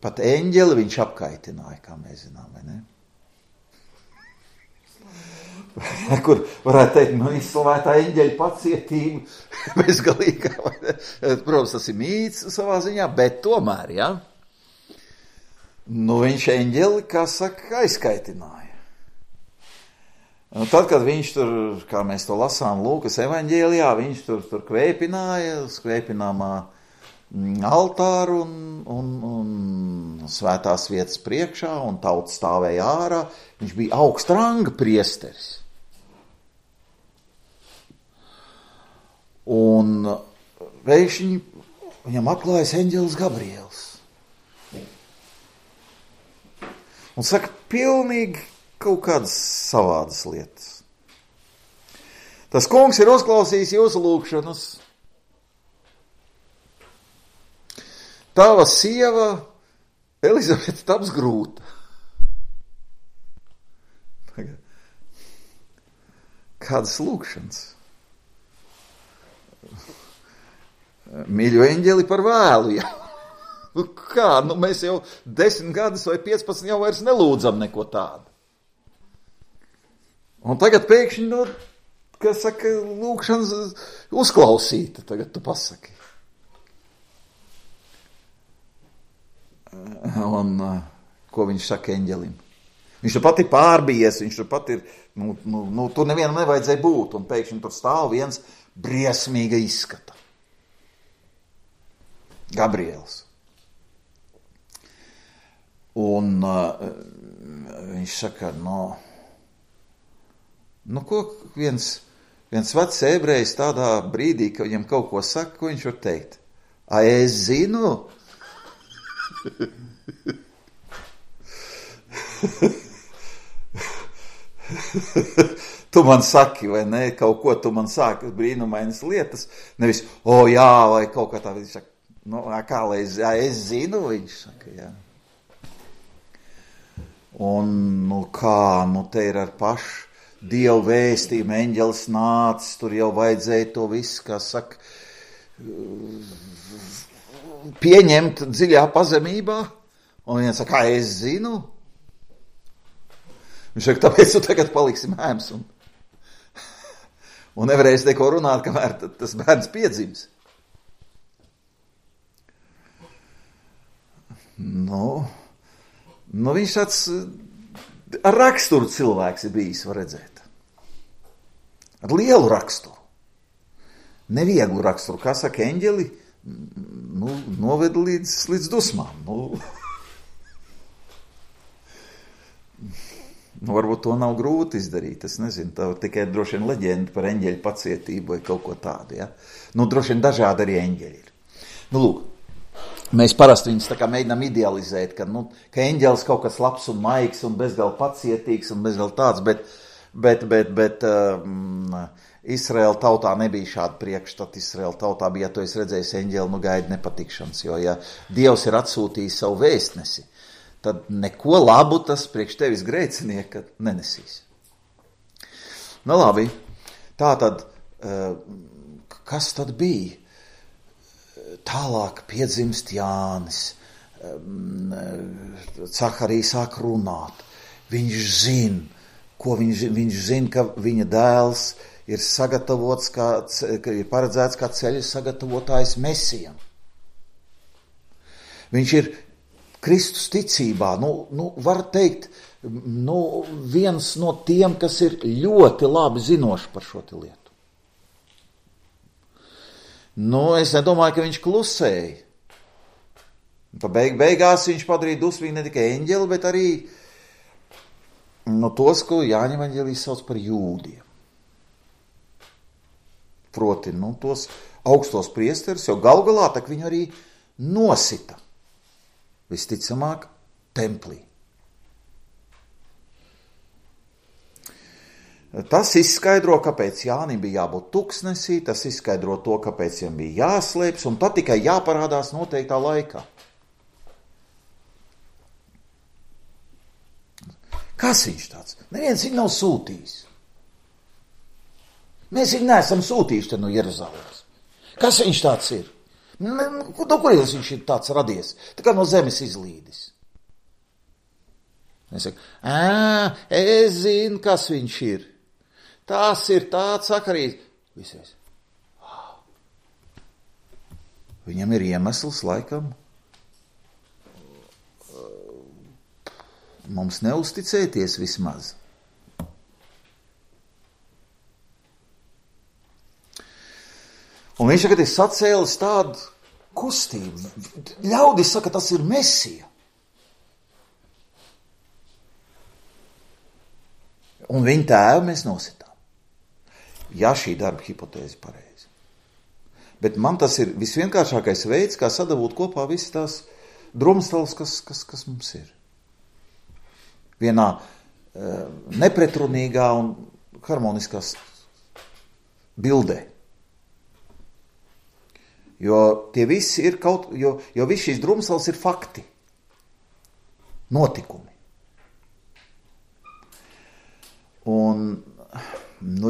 Pat eņģeli viņš apkaitināja, kā mēs zinām, vai ne? Kur varētu teikt, izslavētā eņģeļa pacietība bezgalīgā. Protams, tas ir mīts savā ziņā, bet tomēr, ja? Viņš eņģeli, kā saka, aizkaitināja. Un tad, kad viņš tur, kā mēs to lasām Lūkas evaņģēlijā, viņš tur kvēpināja uz kvēpināmā altāru un svētās vietas priekšā, un tauta stāvēja ārā. Viņš bija augsta ranga priesteris. Un pēkšņi viņam atklājas eņģelis Gabriels. Un saka, pilnīgi kaut kādas savādas lietas. Tas kungs ir uzklausījis jūsu lūgšanas. Tava sieva Elizabete taps grūta. Kādas lūgšanas? Mīļo eņģeli par vēlu, ja? Kā? Mēs jau 10 gadus vai 15 jau vairs nelūdzam neko tādu. Un tagad pēkšņi, kas saka, lūgšanas uzklausīta, tagad tu pasaki. Un ko viņš saka eņģelim? Viņš tur pat ir pārbijies, viņš tur pat ir, tur nevienam nevajadzēja būt, un pēkšņi tur stāv viens briesmīga izskata. Gabriels. Un viņš saka, ko viens vecs ebrejs tādā brīdī, ka viņam kaut ko saka, ko viņš var teikt? Es zinu. tu man saki, vai ne, kaut ko tu man sāki, brīnumainas lietas, nevis, jā, vai kaut kā tā, viņš saka, kā lai es zinu, viņš saka, jā. Un, te ir ar pašu Dievu vēstījumu, eņģelis nācis, tur jau vajadzēja to visu, kā saka, pieņemt dziļā pazemībā, un viens saka, kā es zinu? Viņš saka, tāpēc tu tagad paliksi mēms, un nevarēsi neko runāt, kamēr tas bērns piedzims. Viņš tāds ar raksturu cilvēks ir bijis, var redzēt. Ar lielu raksturu. Nevieglu raksturu, kā saka eņģeli, noved līdz dusmām. Varbūt to nav grūti izdarīt, es nezinu, tā tikai droši vien leģenda par eņģeļu pacietību vai kaut ko tādu, ja? Droši vien dažādi arī eņģeļi ir. Lūk, mēs parasti viņus tā kā mēģinām idealizēt, ka eņģelis kaut kas labs un maigs un bezgalīgi pacietīgs un bezgalīgi tāds, bet Izraēla tautā nebija šāda priekšstata. Izraēla tautā bija, ja tu esi redzējis eņģeli, gaidi nepatikšanas, jo ja Dievs ir atsūtījis savu vēstnesi, tad neko labu tas priekš tevis grēcinieka nenesīs. Labi, tātad, kas tad bija? Tālāk piedzimst Jānis, Caharija sāk runāt, viņš zina, ko viņš zina, ka viņa dēls ir sagatavots, ka ir paredzēts kā ceļa sagatavotājs Mesijam. Viņš ir Kristus ticībā, var teikt, viens no tiem, kas ir ļoti labi zinoši par šo te lietu. Es nedomāju, ka viņš klusēja. Beigās viņš padarīja dusmīgi ne tikai eņģeli, bet arī tos, ko Jāņa evaņģēlijs sauc par jūdiem. Proti, tos augstos priesterus, jo galgalā tak viņu arī nosita. Visticamāk, templī. Tas izskaidro, kāpēc Jānim bija jābūt tuksnesī, tas izskaidro to, kāpēc viņam bija jāslēpjas, un tad tikai jāparādās noteiktā laikā. Kas viņš tāds? Neviens viņu nav sūtījis. Mēs viņu neesam sūtījuši te no Jeruzalemes. Kas viņš tāds ir? No kurienes viņš ir tāds radies? Tā kā no zemes izlīdis. Es saku, es zinu, kas viņš ir. Tas ir tāds Caharijas. Visies. Viņam ir iemesls laikam mums neuzticēties vismaz. Un viņš tagad ir sacēlis tādu kustību. Ļaudis saka, tas ir Mesija. Un viņa tēvu mēs nositām. Ja šī darba hipotēze pareizi. Bet man tas ir visvienkāršākais veids, kā sadabūt kopā visas tās drumstals, kas mums ir. Vienā nepretrunīgā un harmoniskā bildē. Jo tie visi ir jo visi šīs drumstals ir fakti. Notikumi. Un,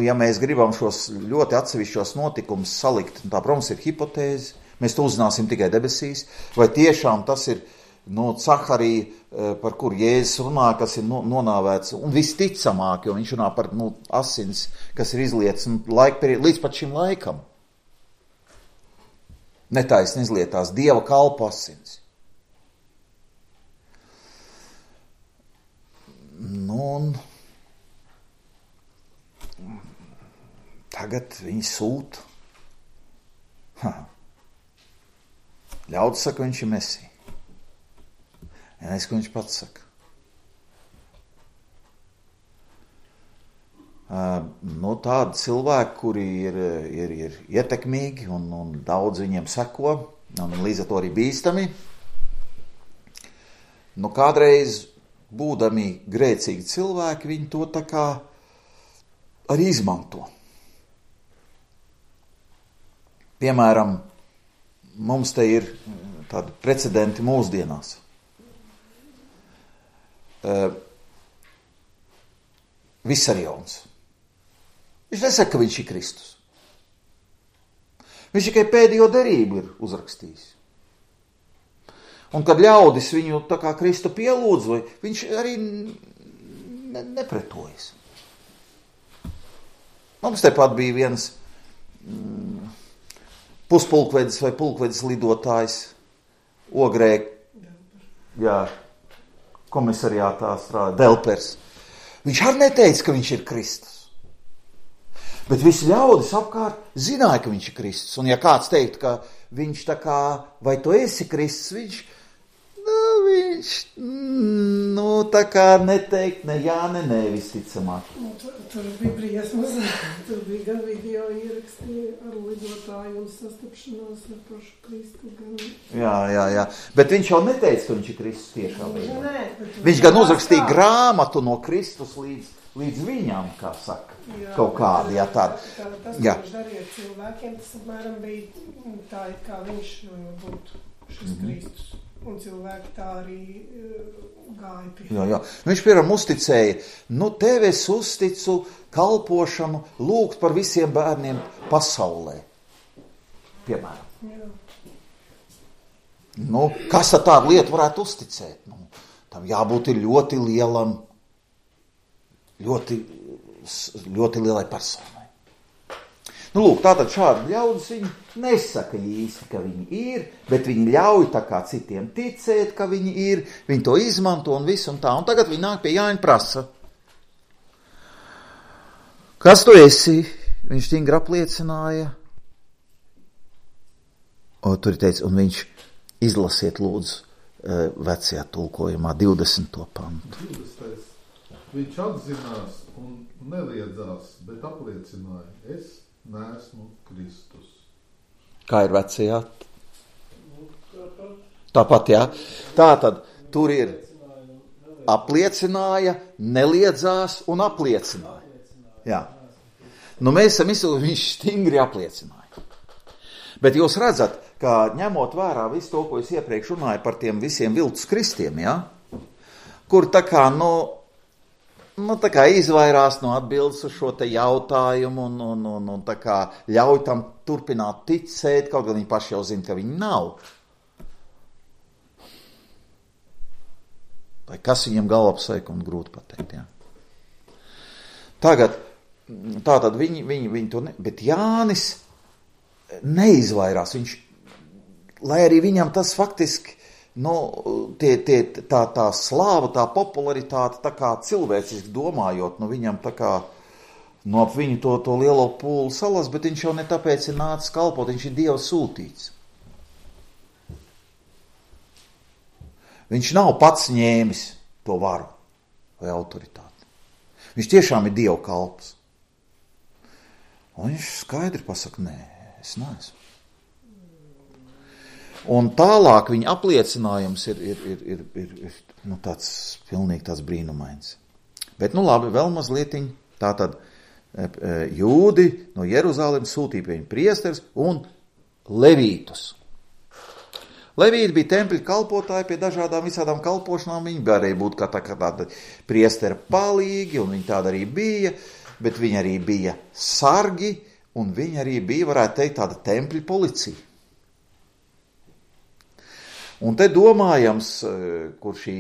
ja mēs gribam šos ļoti atsevišķos notikumus salikt, tā, protams, ir hipotēze, mēs to uzzināsim tikai debesīs, vai tiešām tas ir Caharija, par kur Jēzus runā, kas ir nonāvēts, un visticamāk, jo viņš runā par asins, kas ir izlietas līdz pat šim laikam. Netaisni izlietās Dieva kalpa asins. Tagad viņi sūta. Ļaudis saka, viņš ir Mesija. Es, ko viņš pats saka. Tādi cilvēki, kuri ir ietekmīgi un daudz viņiem seko, un līdz ar to arī bīstami. Kādreiz, būdami grēcīgi cilvēki, viņi to tā kā arī izmanto. Piemēram, mums te ir tādi precedenti mūsdienās. Visarjons. Viņš nesaka, ka viņš ir Kristus. Viņš tikai pēdējo derību ir uzrakstījis. Un kad ļaudis viņu tā kā Kristu pielūdz, viņš arī nepretojas. Mums tepat bija viens puspulkvedis vai pulkvedis lidotājs Ogrē, komisariātā strādā, Delpers. Viņš arī neteica, ka viņš ir Kristus. Bet visi ļaudis apkārt zināja, ka viņš ir Kristus. Un ja kāds teikt, ka viņš tā kā, vai tu esi Kristus, viņš tā kā neteikt ne jā, ne visticamāk. Tur bija briesmas, tur bija gan video ieraksti ar lidotāju un sastapšanos ar pašu Kristu. Jā, bet viņš jau neteica, ka viņš ir Kristus tiešā veidā. Nē, viņš gan uzrakstīja grāmatu no Kristus līdz viņam, kā saka, kaut kādi, tādi. Tas, ko viņš darīja cilvēkiem, tas apmēram bija tā, kā viņš būtu šis Kristus. Un cilvēki tā arī gāja pie. Jā. Viņš, piemēram, uzticēja, tev es uzticu kalpošanu, lūgt par visiem bērniem pasaulē. Piemēram. Jā. Kas ar tādu lietu varētu uzticēt? Tam jābūt ir ļoti lielam, ļoti lielai personai. Tātad šādi ļaudis viņi nesaka īsti, ka viņi ir, bet viņi ļauj tā kā citiem ticēt, ka viņi ir, viņi to izmanto un visu un tā. Un tagad viņi nāk pie Jāņa prasa. Kas tu esi? Viņš stingri apliecināja. Tur teica, un viņš izlasiet lūdzu vecajā tulkojumā 20. pantu. 20. Viņš atzinās un neliedzās, bet apliecināja, es neesmu Kristus. Kā ir vecajā? Tāpat, jā. Tātad tur ir apliecināja, neliedzās un apliecināja. Jā. Mēs esam izsūtījuši, viņš stingri apliecināja. Bet jūs redzat, ka ņemot vērā visu to, ko es iepriekš runāju par tiem visiem viltus kristiem, ja? Kur tā kā, tā kā izvairās no atbildes uz šo te jautājumu un tā kā ļauj tam turpināt ticēt, kaut gan viņi paši jau zina, ka viņi nav. Vai kas viņiem galvā pasaika un grūti pateikt, jā. Tātad viņi to bet Jānis neizvairās, lai arī viņam tas faktiski tā slāva, tā popularitāte, tā kā cilvēciski domājot, viņam tā kā ap viņu to lielo pūlu salas, bet viņš jau ne tāpēc ir nācis kalpot, viņš ir Dieva sūtīts. Viņš nav pats ņēmis to varu vai autoritāti. Viņš tiešām ir Dieva kalps. Un viņš skaidri pasaka, nē, es neesmu. Un tālāk viņa apliecinājums ir tāds pilnīgi tāds brīnumains. Bet, labi, vēl mazlietiņ, tātad jūdi no Jeruzalemes sūtīja pie viņa priesteris un levītus. Levīti bija tempļa kalpotāji pie dažādām visādām kalpošanām, viņi varēja būt kā tāda priestera palīgi, un viņi tāda arī bija, bet viņi arī bija sargi, un viņi arī bija, varētu teikt, tāda tempļa policija. Un te domājams, kur šī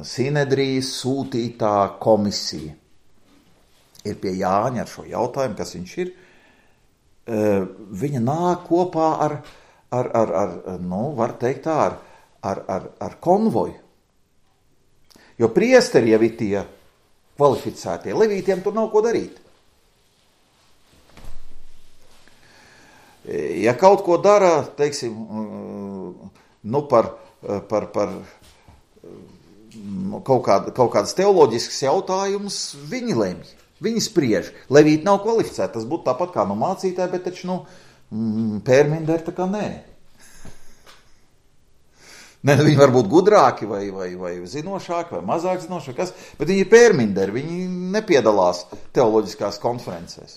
Sinedrijas sūtītā komisija ir pie Jāņa ar šo jautājumu, kas viņš ir, viņa nāk kopā var teikt tā, ar konvoju. Jo priesteri jau ir tie kvalificētie, levītiem tur nav ko darīt. Ja kaut ko dara, teiksim, par kaut kādas teoloģiskas jautājumus, viņi lemj, viņi spriež. Levīti nav kvalificēti, tas būtu tāpat kā mācītāji, bet taču, pērminderi tā kā nē. Ne, viņi var būt gudrāki vai zinošāki vai mazāk zinošāki, bet viņi ir pērminderi, viņi nepiedalās teoloģiskās konferencēs.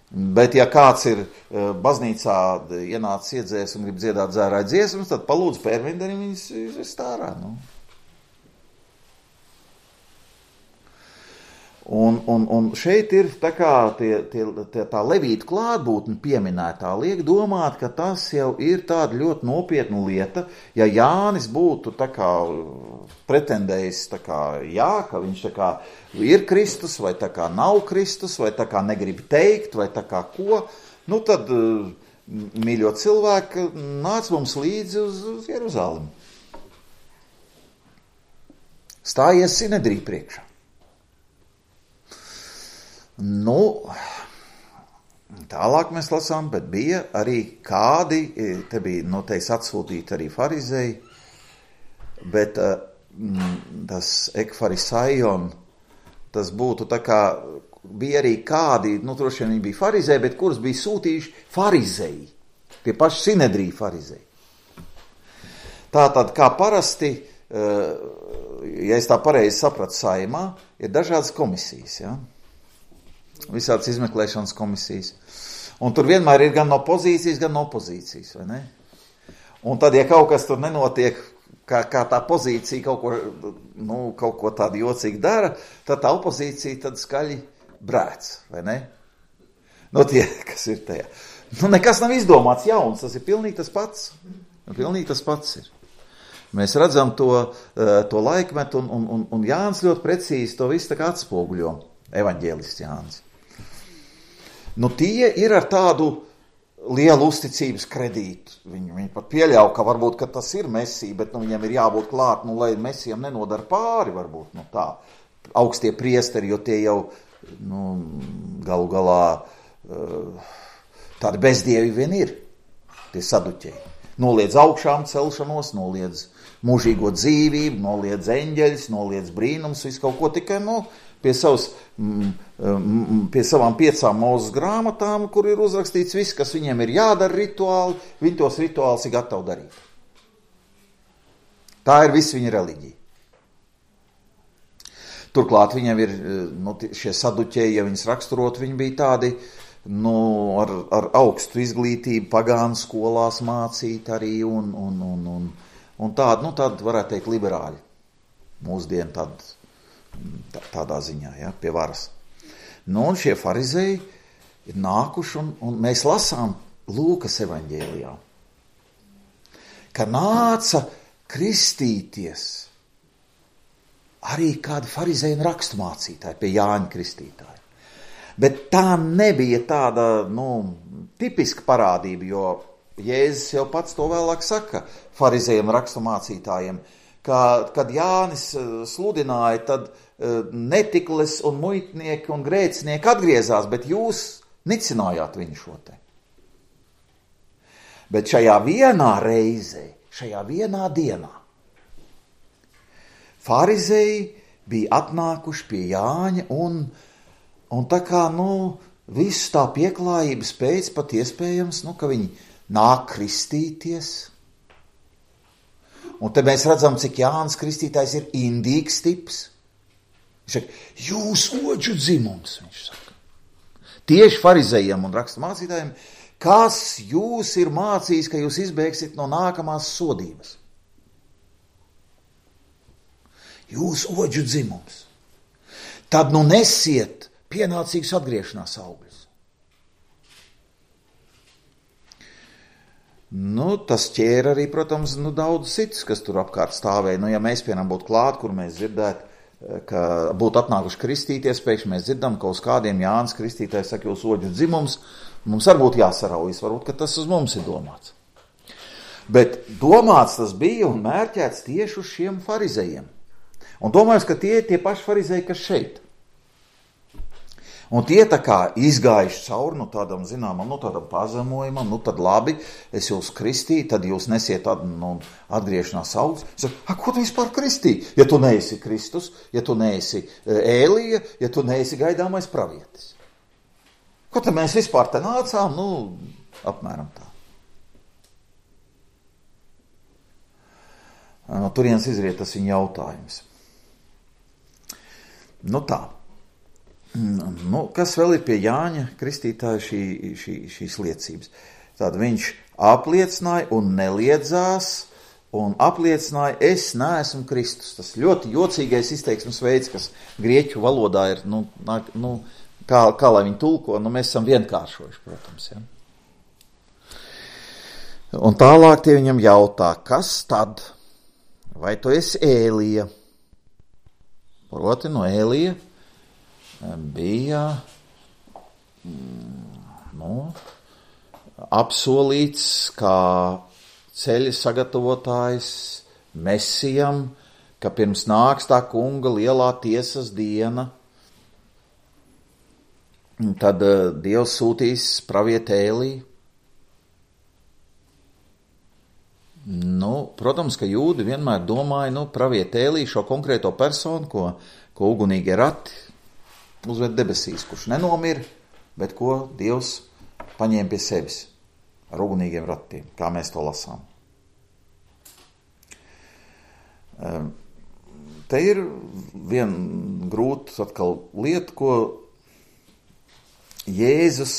Bet ja kāds ir baznīcā ienācis iedzēs un grib dziedāt dzērāju dziesmas, tad palūdzu pērminderim viņas stārā. Nu. Un šeit ir tā kā tā levīta klātbūtne pieminētā liek domāt, ka tas jau ir tāda ļoti nopietna lieta. Ja Jānis būtu tā kā pretendējis tā kā jā, ka viņš tā kā ir Kristus, vai tā kā nav Kristus, vai tā kā negrib teikt, vai tā kā ko, nu tad, mīļo cilvēki, nāc mums līdzi uz Jeruzalemi. Stājies Sinedrī priekšā. Nu, tālāk mēs lasām, bet bija arī kādi, te bija noteikti atsūtīti arī farizēji, bet tas ekfarisaion, tas būtu tā kā, bija arī kādi, nu droši vien viņi bija farizēji, bet kurus bija sūtījuši farizēji, tie paši Sinedrī farizēji. Tātad, kā parasti, ja es tā pareizi sapratu saimā, ir dažādas komisijas, ja? Visādas izmeklēšanas komisijas. Un tur vienmēr ir gan no pozīcijas, gan no opozīcijas, vai ne? Un tad, ja kaut kas tur nenotiek, kā tā pozīcija kaut ko tādu jocīgi dara, tad tā opozīcija tad skaļi brēc, vai ne? No tie, kas ir tajā. Nu, nekas nav izdomāts jauns, tas ir pilnīgi tas pats. Pilnīgi tas pats ir. Mēs redzam to laikmetu, un Jānis ļoti precīzi to visu tā kā atspoguļo, evaņģēlists Jānis. Nu, tie ir ar tādu lielu uzticības kredītu. Viņi pat pieļauj, ka varbūt, ka tas ir Mesija, bet viņam ir jābūt klāt, lai Mesijam nenodara pāri, varbūt, tā. Augstie priesteri, jo tie jau, galu galā tādi bezdievi vien ir, tie saduķeji. Noliedz augšām celšanos, noliedz mūžīgo dzīvību, noliedz eņģeļus, noliedz brīnums, visu kaut ko tikai, pie savām 5 Mūzes grāmatām, kur ir uzrakstīts viss, kas viņiem ir jādara rituāli, viņi tos rituālus ir gatavi darīt. Tā ir viss viņa reliģija. Turklāt viņiem ir, šie saduķeji, ja viņas raksturot, viņi bija tādi, ar augstu izglītību, pagānu skolās mācīt arī, un tādi, varētu teikt, liberāļi. Mūsdien tādā ziņā, ja, pie varas. Un šie farizēji ir nākuši, un mēs lasām Lūkas evaņģēlijā, ka nāca kristīties arī kādi farizēji un raksturmācītāji pie Jāņa Kristītāja. Bet tā nebija tāda, tipiska parādība, jo Jēzus jau pats to vēlāk saka farizējiem un raksturmācītājiem, kad Jānis sludināja, tad netikles un muitnieki un grēcinieki atgriezās, bet jūs nicinājāt viņu šo te. Bet šajā vienā reizē, šajā vienā dienā, farizēji bija atnākuši pie Jāņa un tā kā, visu tā pieklājības pēc pat iespējams, ka viņi nāk kristīties. Un te mēs redzam, cik Jānis Kristītājs ir indīgs tips. Viņš saka, jūs oģu dzimums, viņš saka. Tieši farizējiem un raksturmācītājiem, kas jūs ir mācījis, ka jūs izbēgsiet no nākamās sodības? Jūs oģu dzimums. Tad nesiet pienācīgus atgriešanās augļus. Tas ķēra arī, protams, daudz citus, kas tur apkārt stāvēja. Ja mēs, piemēram, būtu klāt, kur mēs dzirdētu, ka būtu atnākuši kristīties, pēkšņi mēs dzirdam, ka uz kādiem Jānis Kristītājs saka, jūs oģu dzimums, mums arī būtu jāsaraujas, varbūt, ka tas uz mums ir domāts. Bet domāts tas bija un mērķēts tieši uz šiem farizējiem. Un domājams, ka tie ir tie paši farizēji, kas šeit. Un tie tā kā izgājuši cauri, tādam zināmam, tādam pazemojumam, tad labi, es jūs kristīju, tad jūs nesiet atgriešanās augļus. Es saku, ko tu vispār kristīji? Ja tu neesi Kristus, ja tu neesi Ēlija, ja tu neesi gaidāmais pravietis. Ko tad mēs vispār te nācām? Apmēram tā. No turienes izriet tas viņa jautājums. Nu tā. Nu, kas vēl ir pie Jāņa Kristītāja šīs liecības? Tātad viņš apliecināja un neliedzās, un apliecināja, es neesmu Kristus. Tas ļoti jocīgais izteiksmes veids, kas grieķu valodā ir, kā lai viņi tulko, mēs esam vienkāršojuši, protams, ja. Un tālāk tie viņam jautā, kas tad? Vai tu esi Ēlija? Proti, no Ēlija bija apsolīts kā ceļa sagatavotājs Mesijam, ka pirms nāks tā kunga lielā tiesas diena, tad Dievs sūtīs pravieti Ēliju. Protams, ka jūdi vienmēr domāja, pravieti Ēliju, šo konkrēto personu, ko ugunīgie rati uzved debesīs, kurš nenomira, bet ko Dievs paņēma pie sevis ar ugunīgiem ratiem, kā mēs to lasām. Te ir viena grūta atkal lieta, ko Jēzus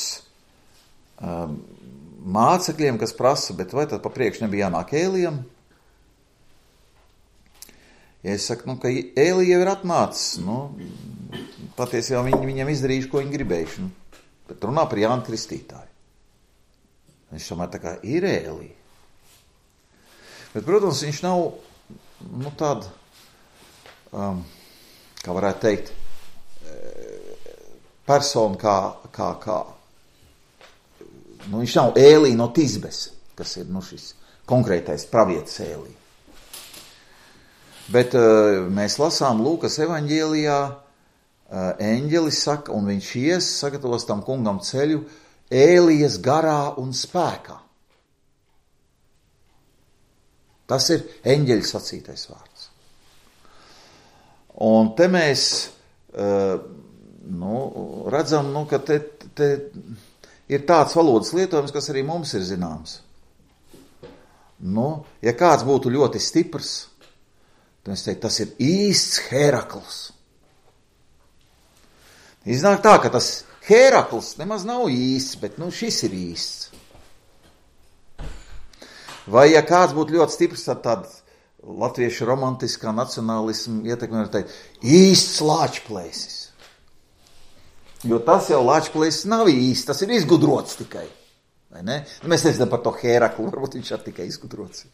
mācekļiem, kas prasa, bet vai tad pa priekš nebija jānāk Ēlijam? Ja es saku, ka Ēlija jau ir atnācis, patiesībā viņam izdarījuši, ko viņi gribējuši, bet runā par Jānu Kristītāju. Viņš tomēr tā kā ir Ēlija. Bet, protams, viņš nav, tāda, kā varētu teikt, persona kā viņš nav Ēlija no Tizbes, kas ir šis konkrētais pravietis Ēlija. Bet mēs lasām Lūkas evaņģēlijā, eņģelis saka, un viņš sagatavos tam kungam ceļu Ēlijas garā un spēkā. Tas ir eņģeļa sacītais vārds. Un te mēs redzam, ka te ir tāds valodas lietojums, kas arī mums ir zināms. Ja kāds būtu ļoti stiprs, tad es teiktu, tas ir īsts Herakls. Iznāk tā, ka tas Herakls nemaz nav īsts, bet šis ir īsts. Vai ja kāds būtu ļoti stiprs, tad tāda latviešu romantiskā nacionālisma ietekme var teikt, īsts Lāčplēsis. Jo tas jau Lāčplēsis nav īsts, tas ir izgudrots tikai. Vai ne? Mēs nezinām par to Heraklu, varbūt viņš ir tikai izgudrots.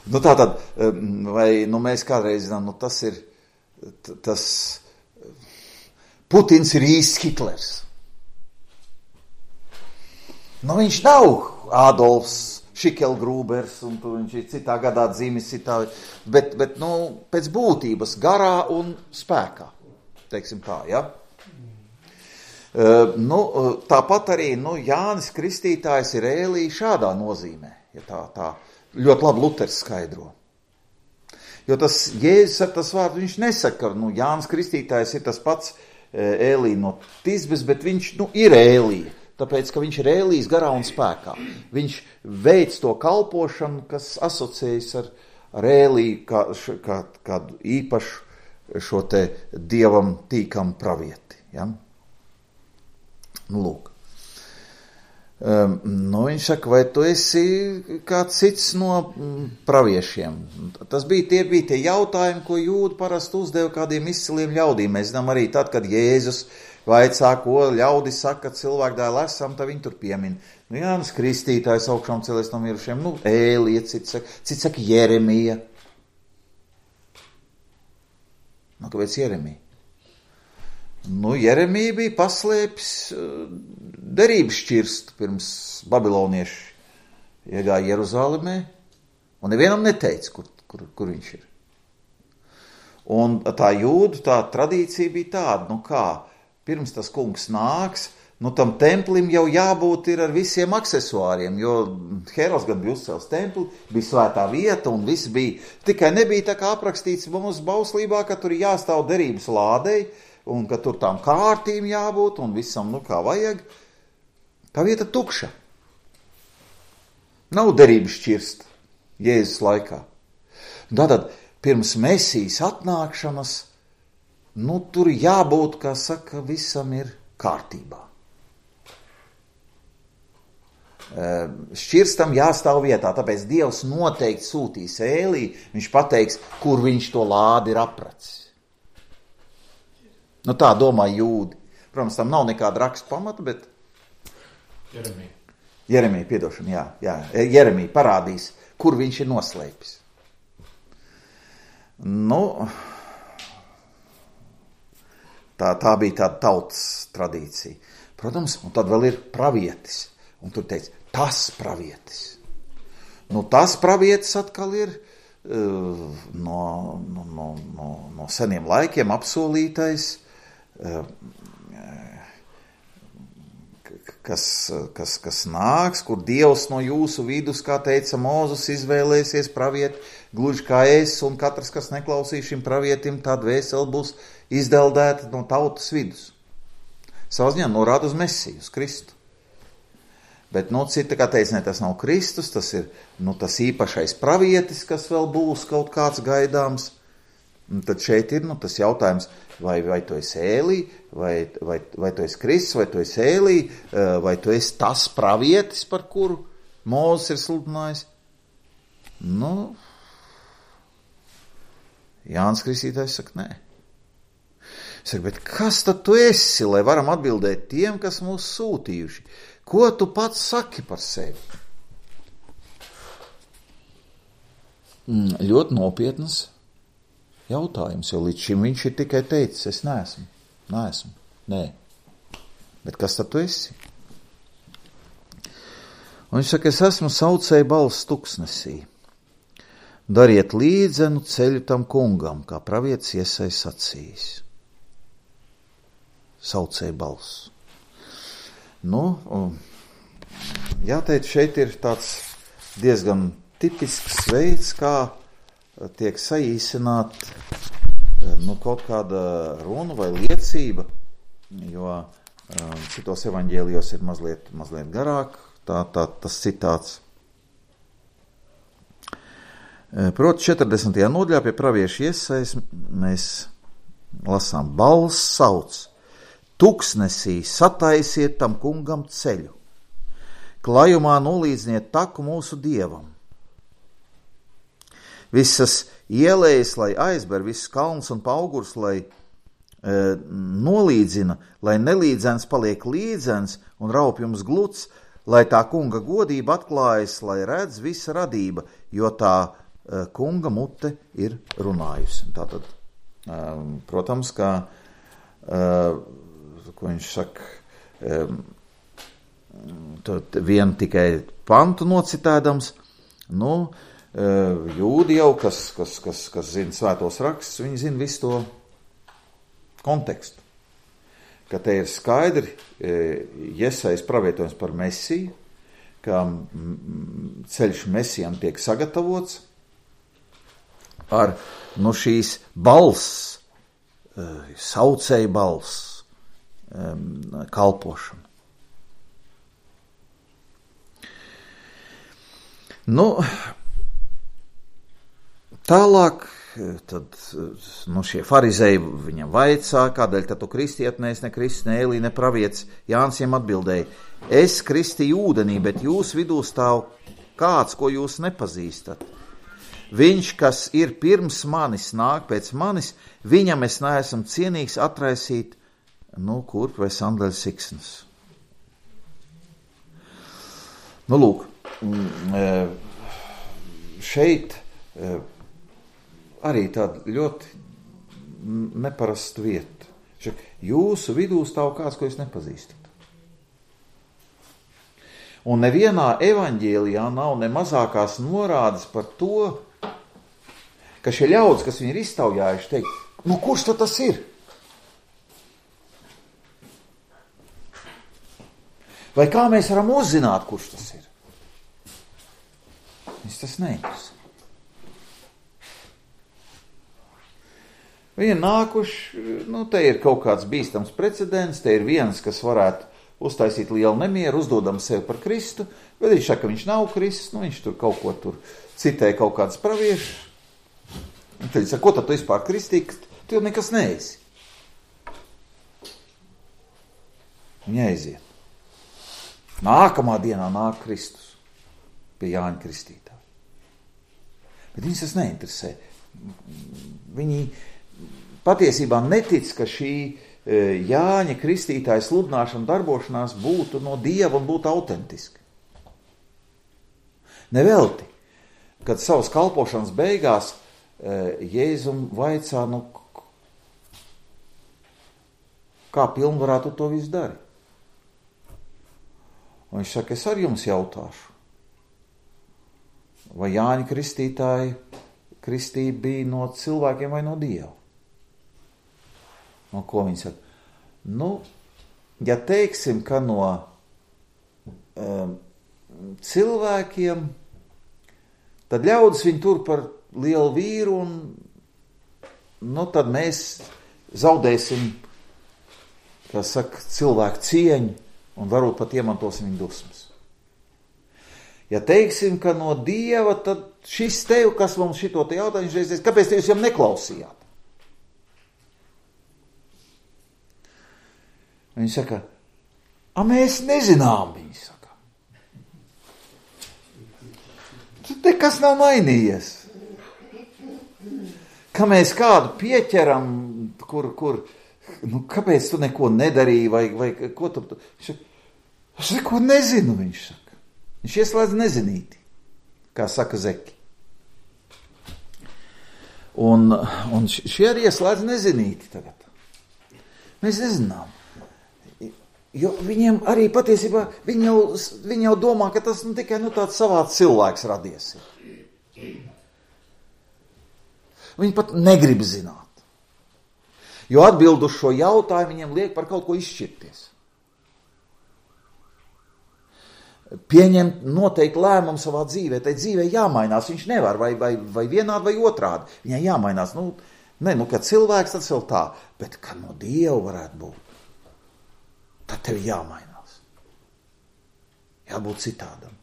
Tātad, vai mēs kādreiz zinām, tas Putins ir īsts Hitlers. Viņš nav Adolfs Šikelgrūbers, un viņš ir citā gadā dzīmis, bet pēc būtības garā un spēkā, teiksim tā, ja? Tāpat arī, Jānis Kristītājs ir Ēlija šādā nozīmē, ja tā ļoti labi Luters skaidro. Jo tas Jēzus ar tas vārds, viņš nesaka, ka Jānis Kristītājs ir tas pats Ēlija no Tizbes, bet viņš ir Ēlija, tāpēc, ka viņš ir Ēlijas garā un spēkā. Viņš veic to kalpošanu, kas asociējas ar Ēliju kādu īpašu šo te dievam tīkam pravieti. Ja? Lūk. Viņš saka, vai tu esi kāds cits no praviešiem? Tie bija tie jautājumi, ko jūdi parasti uzdeva kādiem izciliem ļaudīm. Mēs zinām arī tad, kad Jēzus vaicā, ko ļaudi saka, cilvēku dēlu esam, tad viņi tur piemin. Jānis Kristītājs augšām celies no mirušiem, Ēlija, cits saka Jeremija. Kāpēc Jeremija? Jeremija bija paslēpis derības šķirstu pirms babilonieši iegāja Jeruzalemē, un nevienam neteica, kur viņš ir. Un tā jūdu, tā tradīcija bija tāda, pirms tas kungs nāks, tam templim jau jābūt ir ar visiem aksesuāriem, jo Herods gan bija uzcēls templi, bija svētā vieta un viss bija, tikai nebija tā kā aprakstīts mums bauslībā, ka tur jāstāv derības lādei, un ka tur tām kārtīm jābūt, un visam, kā vajag. Tā vieta tukša. Nav derības šķirsta Jēzus laikā. Tātad pirms Mesijas atnākšanas, tur jābūt, kā saka, visam ir kārtībā. Šķirstam jāstāv vietā, tāpēc Dievs noteikti sūtīs Ēlī, viņš pateiks, kur viņš to lādi ir apracis. Tā domā jūdi. Protams, tam nav nekāda raksta pamata, bet Jeremija, piedošana, jā. Jeremija parādīs, kur viņš ir noslēpis. Tā bija tāda tautas tradīcija. Protams, un tad vēl ir pravietis. Un tur teica, tas pravietis. Tas pravietis atkal ir no seniem laikiem apsolītais, kas nāks, kur Dievs no jūsu vidus, kā teica Mūzes, izvēlēsies pravieti, gluži kā es, un katrs, kas neklausīs šim pravietim, tā dvēsele būs izdeldēta no tautas vidus. Savā ziņā norāda uz Mesiju, uz Kristu. Bet, cita, kā teica, tas nav Kristus, tas ir, tas īpašais pravietis, kas vēl būs kaut kāds gaidāms. Un tad šeit ir, tas jautājums, vai tu esi Ēlī, vai tu esi Kristus, vai tu esi Ēlī, vai tu esi tas pravietis, par kuru Mūzes ir sludinājis. Jānis Kristītājs saka, nē. Saka, bet kas tad tu esi, lai varam atbildēt tiem, kas mūs sūtījuši? Ko tu pats saki par sevi? Ļoti nopietnas jautājums, jo līdz šim viņš ir tikai teicis, es neesmu. Nē. Bet kas tad tu esi? Un viņš saka, es esmu saucēja balss tuksnesī. Dariet līdzenu ceļu tam kungam, kā pravietis Iesaja sacījis. Saucēja balss. Jāteic, šeit ir tāds diezgan tipisks veids, kā tiek saīsināt kaut kāda runa vai liecība, jo citos evaņģēlijos ir mazliet garāk, tas citāts. Proti 40. nodaļā pie pravieša Iesajas mēs lasām, balss sauc, tuksnesī sataisiet tam kungam ceļu, klajumā nolīdziniet taku mūsu Dievam. Visas ielējas, lai aizber, visas kalns un paugurs, lai nolīdzina, lai nelīdzens paliek līdzens un raupjums gluds, lai tā kunga godība atklājas, lai redz visa radība, jo tā kunga mute ir runājusi. Tātad, protams, kā ko viņš saka, vienu tikai pantu nocitēdams, jūdi jau, kas zina svētos rakstus, viņi zina visu to kontekstu. Ka te ir skaidri Jesajas pravietojums par Mesiju, ka ceļš Mesijam tiek sagatavots ar šīs balss, saucēja balss, kalpošanu. Tālāk, tad, šie farizēji viņam vaicā, kādēļ tad tu kristiet, ne Kristus, ne Ēlī, ne pravietis. Jānis viņam atbildēja, es kristīju ūdenī, bet jūs vidū stāv kāds, ko jūs nepazīstat. Viņš, kas ir pirms manis, nāk pēc manis, viņam es neesmu cienīgs atraisīt kurp vai sandaļu siksnas. Lūk, šeit arī tāda ļoti neparasta vieta. Jūsu vidū stāv kāds, ko jūs nepazīstat. Un nevienā evaņģēlijā nav ne mazākās norādes par to, ka šie ļaudis, kas viņi ir iztaujājuši, teikt, kurš tad tas ir? Vai kā mēs varam uzzināt, kurš tas ir? Viņš tas neinteresē. Viņi ir nākuši, te ir kaut kāds bīstams precedents, te ir viens, kas varētu uztaisīt lielu nemieru, uzdodam sevi par Kristu, bet viņš saka, ka viņš nav Kristus, viņš tur kaut ko tur citēja kaut kāds praviešs. Un tad viņš saka, ko tad tu vispār kristīgi? Tu jau nekas neesi. Viņa aiziet. Nākamā dienā nāk Kristus pie Jāņa Kristītāja. Bet viņus tas neinteresē. Viņi patiesībā netic, ka šī Jāņa Kristītāja sludināšana, darbošanās būtu no Dieva un būtu autentiska. Nevelti, kad savas kalpošanas beigās Jēzum vaicā, kā pilnvarā tu to visu dari? Un viņš saka, es ar jums jautāšu, vai Jāņa Kristītāja kristība bija no cilvēkiem vai no Dieva? No ko viņi saka? Ja teiksim, ka no cilvēkiem, tad ļaudis viņu tur par lielu vīru un tad mēs zaudēsim, kā saka, cilvēku cieņu un varbūt pat iemantosim viņu dusmas. Ja teiksim, ka no Dieva, tad šis tev, kas mums šito te jautā, viņš reiz, kāpēc te jūs jau neklausījāt? Viņi saka, mēs nezinām, viņi saka. Tur nekas nav mainījies. Ka mēs kādu pieķeram, kur kāpēc tu neko nedarīji, vai ko tu... Es neko nezinu, viņš saka. Viņš ieslēdz nezinīti, kā saka Zeki. Un šie arī ieslēdz nezinīti tagad. Mēs nezinām. Jo viņiem arī patiesībā, viņi jau domā, ka tas tikai tāds savāds cilvēks radies. Viņi pat negrib zināt. Jo atbild uz šo jautājumu viņiem liek par kaut ko izšķirties. Pieņemt noteikti lēmumu savā dzīvē. Tai dzīvē jāmainās. Viņš nevar vai vienādi vai otrādi. Viņai jāmainās. Kad cilvēks tas vēl tā, bet kad no Dieva varētu būt. Tad tev jāmainās. Jābūt citādam.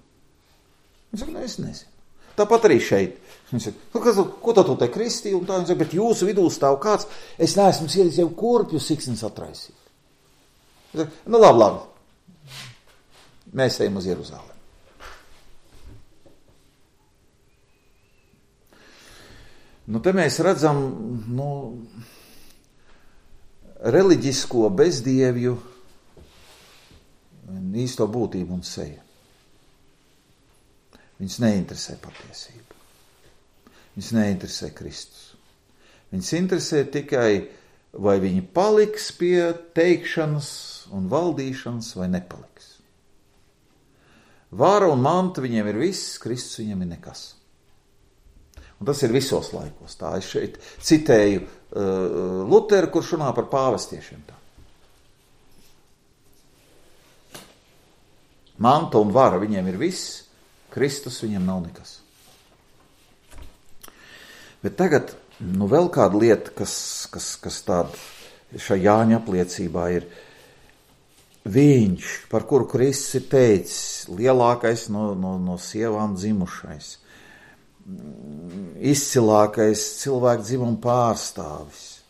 Viņš saka, es nezinu. Tāpat arī šeit. Viņš saka, ko tu te kristīji? Un tā viņš saka, bet jūsu vidū stāv kāds, es neesmu ielicis jau kurpju siksnis atraisīt. Viņš saka, labi. Mēs ejam uz Jeruzalemi. Te mēs redzam, reliģisko bezdievju īsto būtību un seju. Viņus neinteresē patiesība. Viņus neinteresē Kristus. Viņus interesē tikai, vai viņi paliks pie teikšanas un valdīšanas, vai nepaliks. Vāra un manta viņiem ir viss, Kristus viņiem ir nekas. Un tas ir visos laikos. Tā es šeit citēju Luteru, kurš runā par pāvestiešiem tā. Manta un vara viņiem ir viss, Kristus viņiem nav nekas. Bet tagad, vēl kāda lieta, kas tāda šajā Jāņa apliecībā ir, viņš, par kuru Kristus ir teicis, lielākais no sievām dzimušais, izcilākais cilvēku dzimuma pārstāvis.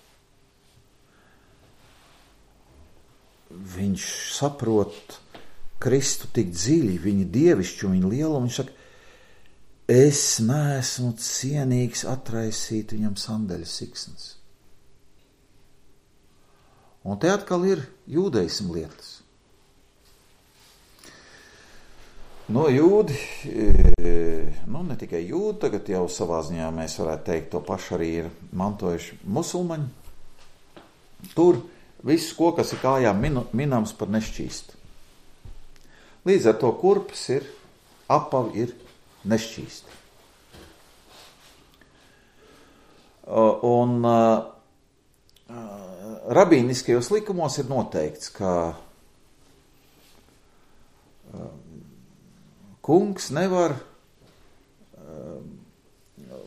Viņš saprot Kristu tik dziļi, viņa dievišķu, viņa lielumu, viņš saka, es neesmu cienīgs atraisīt viņam sandeļu siksnas. Un te atkal ir jūdeismu lietas. Jūdi, ne tikai jūdi, tagad jau savā ziņā mēs varētu teikt, to pašu arī ir mantojuši musulmaņi. Tur viss kokas ir kājām minams par nešķīstu. Līdz ar to kurpes ir, apavi ir nešķīsti. Un rabīniskajos likumos ir noteikts, ka kungs nevar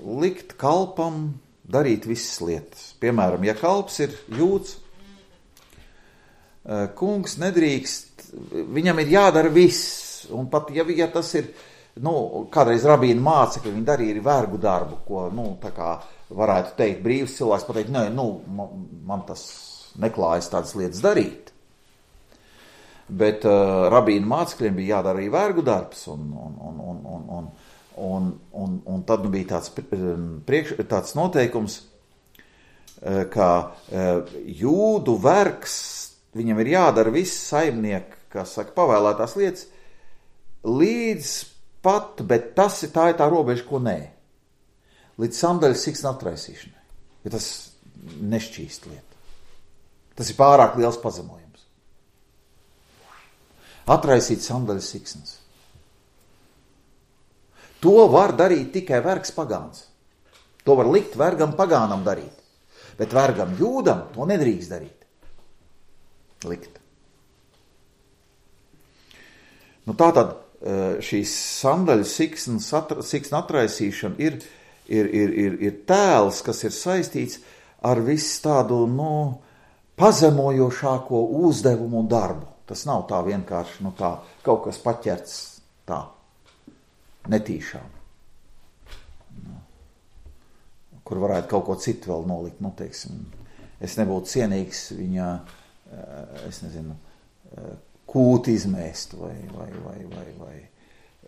likt kalpam darīt visas lietas. Piemēram, ja kalps ir jūds, kungs nedrīkst, viņam ir jādara viss, un pat ja tas ir kādreiz rabīna mācekļi, viņi darīja vergu darbu, ko, tā kā varētu teikt, brīvs cilvēks pateikt, nē, man tas neklājas tādas lietas darīt. Bet rabīna mācekļiem bija jādara arī vergu darbs, un tad bija tāds noteikums, ka jūdu vergs, viņam ir jādara viss saimnieki, kas saka, pavēlētās lietas, līdz pat, bet tā ir tā robeža, ko nē. Līdz sandaļas siksna atraisīšanai. Ja tas nešķīst lieta. Tas ir pārāk liels pazemojums. Atraisīt sandaļas siksnas. To var darīt tikai vergs pagāns. To var likt vergam pagānam darīt. Bet vergam jūdam to nedrīkst darīt. Likt. Tātad šīs sandaļu siksna atraisīšana ir tēls, kas ir saistīts ar visu tādu, pazemojošāko uzdevumu un darbu. Tas nav tā vienkārši, tā kaut kas paķerts tā, netīšām. Kur varētu kaut ko citu vēl nolikt, teiksim, es nebūtu cienīgs viņa, kūti izmēst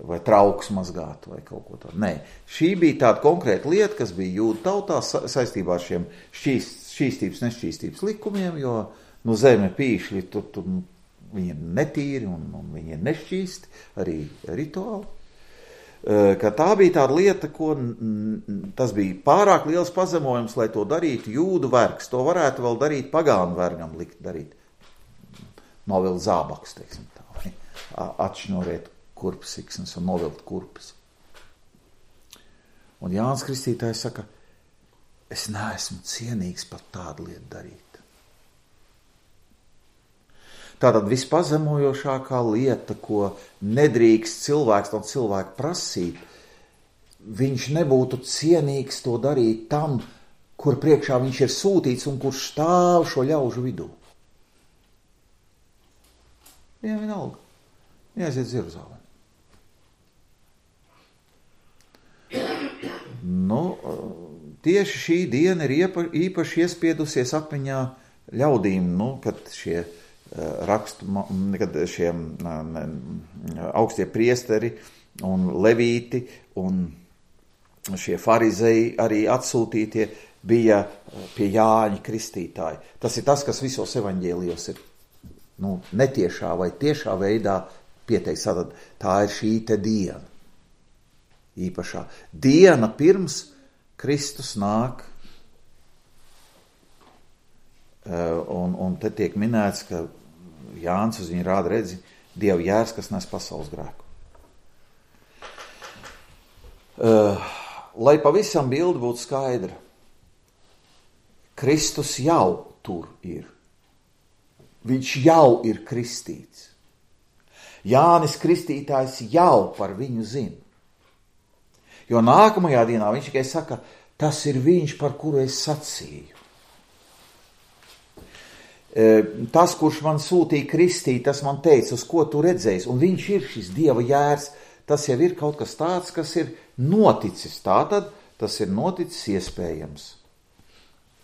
vai trauks mazgāt vai kaut ko tādu. Nē, šī bija tāda konkrēta lieta, kas bija jūdu tautā saistībā ar šiem šķīstības, nešķīstības likumiem, jo zeme pīšļi, tur viņi ir netīri un viņi ir nešķīsti, arī rituāli. Ka tā bija tāda lieta, tas bija pārāk liels pazemojums, lai to darītu jūdu vergs. To varētu vēl darīt pagānu vergam likt darīt. Novilt zābaks, teiksim tā, vai atšņorēt kurpes siksnas un novilt kurpes. Un Jānis Kristītājs saka, es neesmu cienīgs par tādu lietu darīt. Tātad vispazemojošākā lieta, ko nedrīkst cilvēks no cilvēka prasīt, viņš nebūtu cienīgs to darīt tam, kur priekšā viņš ir sūtīts un kurš stāv šo ļaužu vidū. Viņam vienalga. Jāiziet uz Jeruzalemi. Tieši šī diena ir īpaši iespiedusies atmiņā ļaudīm, kad šie kad šie augstie priesteri un levīti un šie farizei arī atsūtītie bija pie Jāņa Kristītāja. Tas ir tas, kas visos evaņģēlijos ir netiešā vai tiešā veidā pieteikts. Tā ir šī te diena. Īpašā diena pirms Kristus nāk. Un te tiek minēts, ka Jānis uz viņu rāda redzi Dieva jērs, kas nes pasaules grēku. Lai pavisam bilde būtu skaidra, Kristus jau tur ir. Viņš jau ir kristīts. Jānis Kristītājs jau par viņu zina. Jo nākamajā dienā viņš tikai saka, tas ir viņš, par kuru es sacīju. Tas, kurš man sūtīja kristīt, tas man teica, uz ko tu redzēsi, un viņš ir šis Dieva jērs, tas jau ir kaut kas tāds, kas ir noticis. Tātad tas ir noticis iespējams.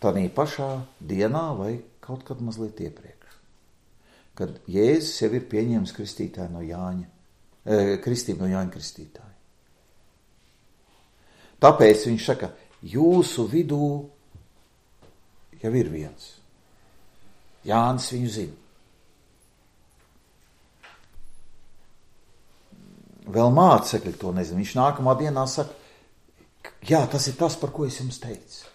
Tādā pašā dienā vai kaut kad mazliet iepriekš. Kad Jēzus jau ir pieņēmis kristītāju no Jāņa, kristību no Jāņa Kristītāja. Tāpēc viņš saka, jūsu vidū jau ir viens. Jānis viņu zina. Vēl mācekļi to nezina. Viņš nākamā dienā saka, jā, tas ir tas, par ko es jums teicu.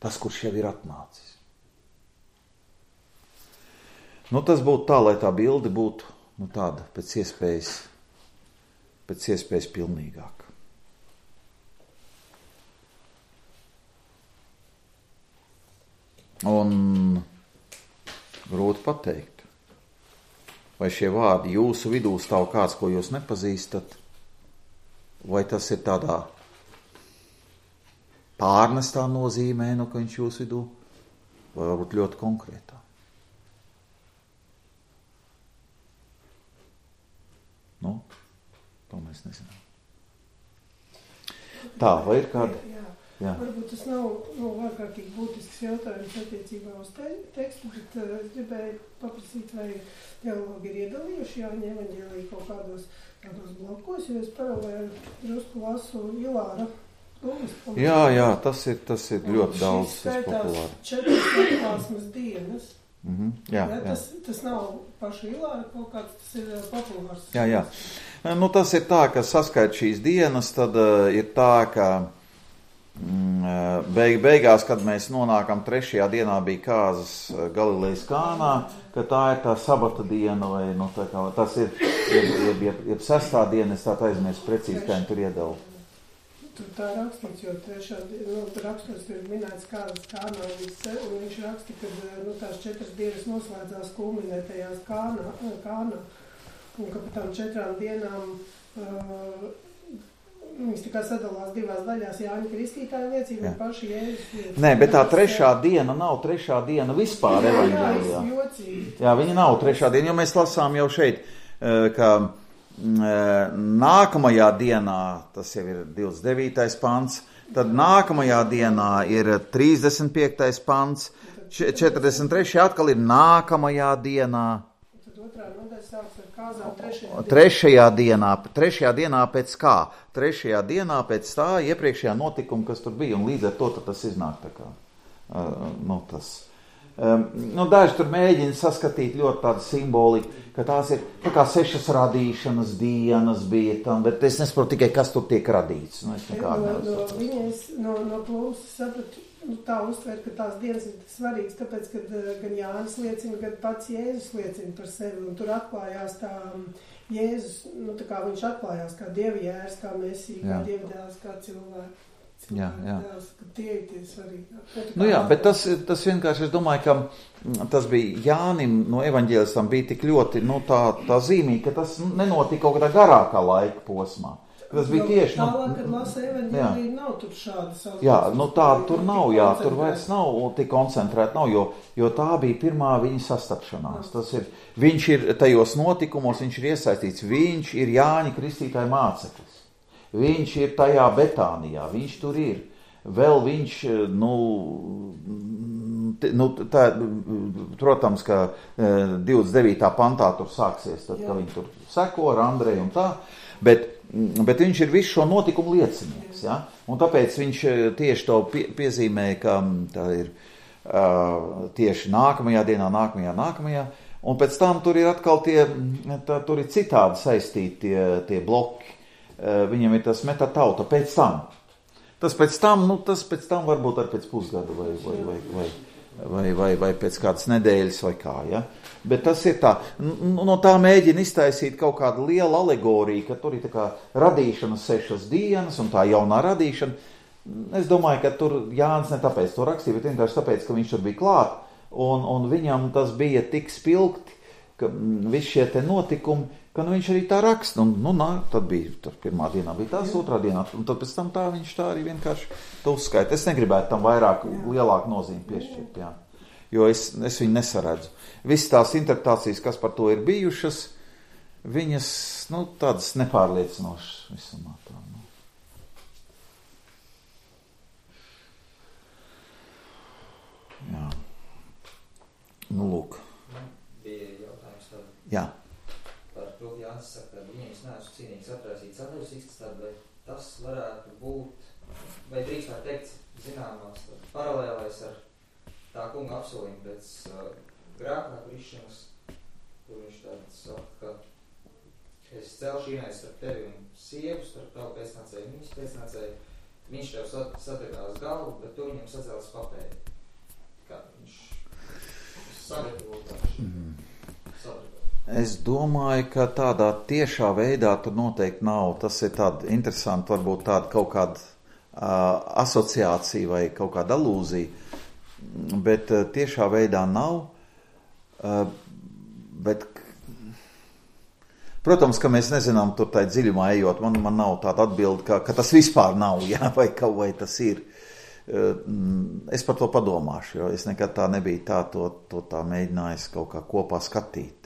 Tas, kurš jau ir atnācis. Tas būtu tā, lai tā bilde būtu tāda pēc iespējas pilnīgāka. Un grūti pateikt, vai šie vārdi jūsu vidū stāv kāds, ko jūs nepazīstat, vai tas ir tādā pārnestā nozīmē, ka viņš jūsu vidū, vai varbūt ļoti konkrētā. To mēs nezinām. Tā, vai ir kāda? Jā. Varbūt tas nav ārkārtīgi būtisks jautājums attiecībā uz tekstu, bet es gribēju paprasīt, vai teologi ir iedalījuši Jāņa evaņģēliju kaut kādos blokos, jo es paralēli drusku lasu Ilāra Lūgas. Jā, tas ir ļoti daudz, tas populāri. Šis skaitās 4 atklāsmes dienas. Jā. Tas nav paša Ilāra kaut kāds, tas ir populārs. Jā. Tas ir tā, ka saskait šīs dienas, tad ir tā, ka beigās, kad mēs nonākam 3. dienā bija kāzas Galilejas Kānā, ka tā ir tā sabata diena, vai tā kā, tas ir 6. diena, es tā aizmirsu precīzi, kā viņi tur iedala. Tur tā rakstīts, jo rakstos tur ir minēts kāzas Kānā, un viņš raksta, ka tās 4 dienas noslēdzās kulminētajās Kānā, un ka par tām 4 dienām viņas tā kā sadalās 2 daļās, Jāņa Kristītāja liecība un paši Jēzus liecība. Nē, bet tā 3. diena nav 3. diena vispār evaņģēlijā. Jā, viņa nav 3. diena, jo mēs lasām jau šeit, ka nākamajā dienā, tas jau ir 29. pants, tad nākamajā dienā ir 35. pants, 43. atkal ir nākamajā dienā. Tad otrā nodaļa sāks ar kāzām 3. dienā pēc kā? 3. dienā pēc tā iepriekšējā notikuma, kas tur bija, un līdz ar to tas iznāk tā kā. Daži tur mēģina saskatīt ļoti tādu simboliku, ka tās ir tā kā 6 radīšanas dienas bija tam, bet es nesaprotu tikai, kas tur tiek radīts. No plūsas sapratu, tā uztver, ka tās dienas ir svarīgas, tāpēc, ka gan Jānis liecina, gan pats Jēzus liecina par sevi, un tur atklājās tā Jēzus, tā kā viņš atklājās kā Dieva jērs, kā Mesija, kā Dieva dēls, kā cilvēks. Jā. Tie ir tie svarīgi. Bet tas vienkārši, es domāju, ka tas bija Jānim no evaņģēlistam bija tik ļoti, tā zīmīgi, ka tas nenotika kaut kādā garākā laika posmā. Tas bija tieši... Tālāk, kad lasa evaņģēliju, nav tur šādas... Jā, tāda tur nav, tur vairs nav tik koncentrēta, jo tā bija pirmā viņa sastapšanās. Viņš ir tajos notikumos, viņš ir iesaistīts, viņš ir Jāņa Kristītāja māceklis. Viņš ir tajā Betānijā, viņš tur ir. Vēl viņš, protams, ka 29. pantā tur sāksies, tad, ka viņi tur seko ar Andreju un tā, bet viņš ir visu šo notikumu liecinieks, ja? Un tāpēc viņš tieši to piezīmē, ka tā ir tieši nākamajā dienā, nākamajā, un pēc tam tur ir atkal tur ir citādi saistīti tie bloki. Viņam ir tas metatauta pēc tam. Tas pēc tam varbūt ar pēc pusgada vai pēc kādas nedēļas vai kā, ja? Bet tas ir tā, no tā mēģina iztaisīt kaut kādu lielu alegoriju, ka tur ir tā kā radīšanas 6 dienas un tā jaunā radīšana. Es domāju, ka tur Jānis ne tāpēc to rakstīja, bet vienkārši tāpēc, ka viņš tur bija klāt un viņam tas bija tik spilgti, ka visi šie te notikumi, ka viņš arī tā raksta, tad bija, pirmā dienā bija tās, otrā dienā, un tad pēc tam tā viņš tā arī vienkārši to uzskaita. Es negribētu tam lielāku nozīmi piešķirt, jā, jo es viņu nesaredzu. Visas tās interpretācijas, kas par to ir bijušas, viņas, tādas nepārliecinošas visumā tā. Jā. Lūk. Bija jautājums tad. Jā. To Jānis saka, ka viņiem es neesmu cienīgs atraisīt sadaļas izskatāt, vai tas varētu būt, vai drīkst var teikt, zināmās paralēlais ar tā kunga apsolījumu pēc grēkā krišanas, kur viņš tāds saka, ka es celšu ienais starp tevi un sievu, starp tavu pēcnācēju un viņas pēcnācēju, viņš tev sadegās galvu, bet tu viņam sacēlas papēdi. Kā viņš sagatavo sadegās. Es domāju, ka tādā tiešā veidā tur noteikti nav. Tas ir tāda interesanta, varbūt tāda kaut kāda asociācija vai kaut kāda alūzija, bet tiešā veidā nav. Bet, protams, ka mēs nezinām tur tā dziļumā ejot. Man nav tāda atbilde, ka tas vispār nav, jā, vai tas ir. Es par to padomāšu, jo es nekad tā nebiju tā mēģinājis kaut kā kopā skatīt.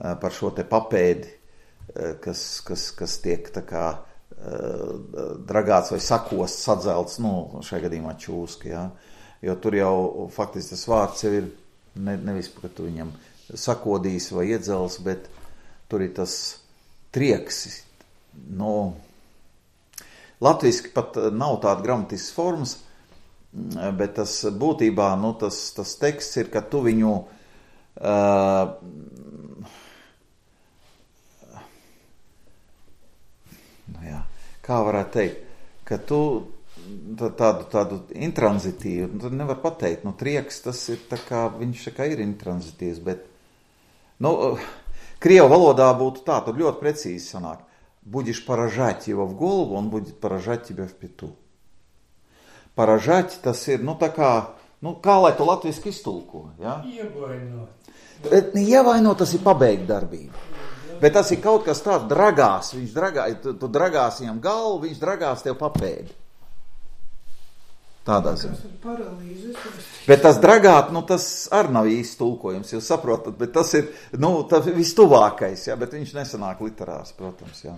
Par šo te papēdi, kas tiek tā kā dragāts vai sakosts, sadzelts, šajā gadījumā čūska, jā. Jo tur jau faktiski tas vārds jau ir nevis, ka tu viņam sakodīs vai iedzels, bet tur ir tas trieks. Latviski pat nav tāda gramatiskas formas, bet tas būtībā, tas teksts ir, ka tu viņu kā varētu teikt, ka tu tādu intranzitīvu, tu nevar pateikt, trieks tas ir tā kā, viņš tā kā ir intranzitīvs, bet, krievu valodā būtu tā, tur ļoti precīzi sanāk, будешь поражать его в голову, он будет поражать тебя в пету. Поражать tas ir, tā kā, kā lai to latviski iztulko, ja? Ievainot. Ievainot, tas ir pabeigt darbību. Bet tas ir kaut kas tāds dragās, tu dragās viņam galvu, viņš dragās tev papēdi. Tādā ziņā. Bet tas dragāt, tas arī nav īsti tulkojums, jūs saprotat, bet tas ir, tas vistuvākais, ja, bet viņš nesanāk literārs, protams, jā.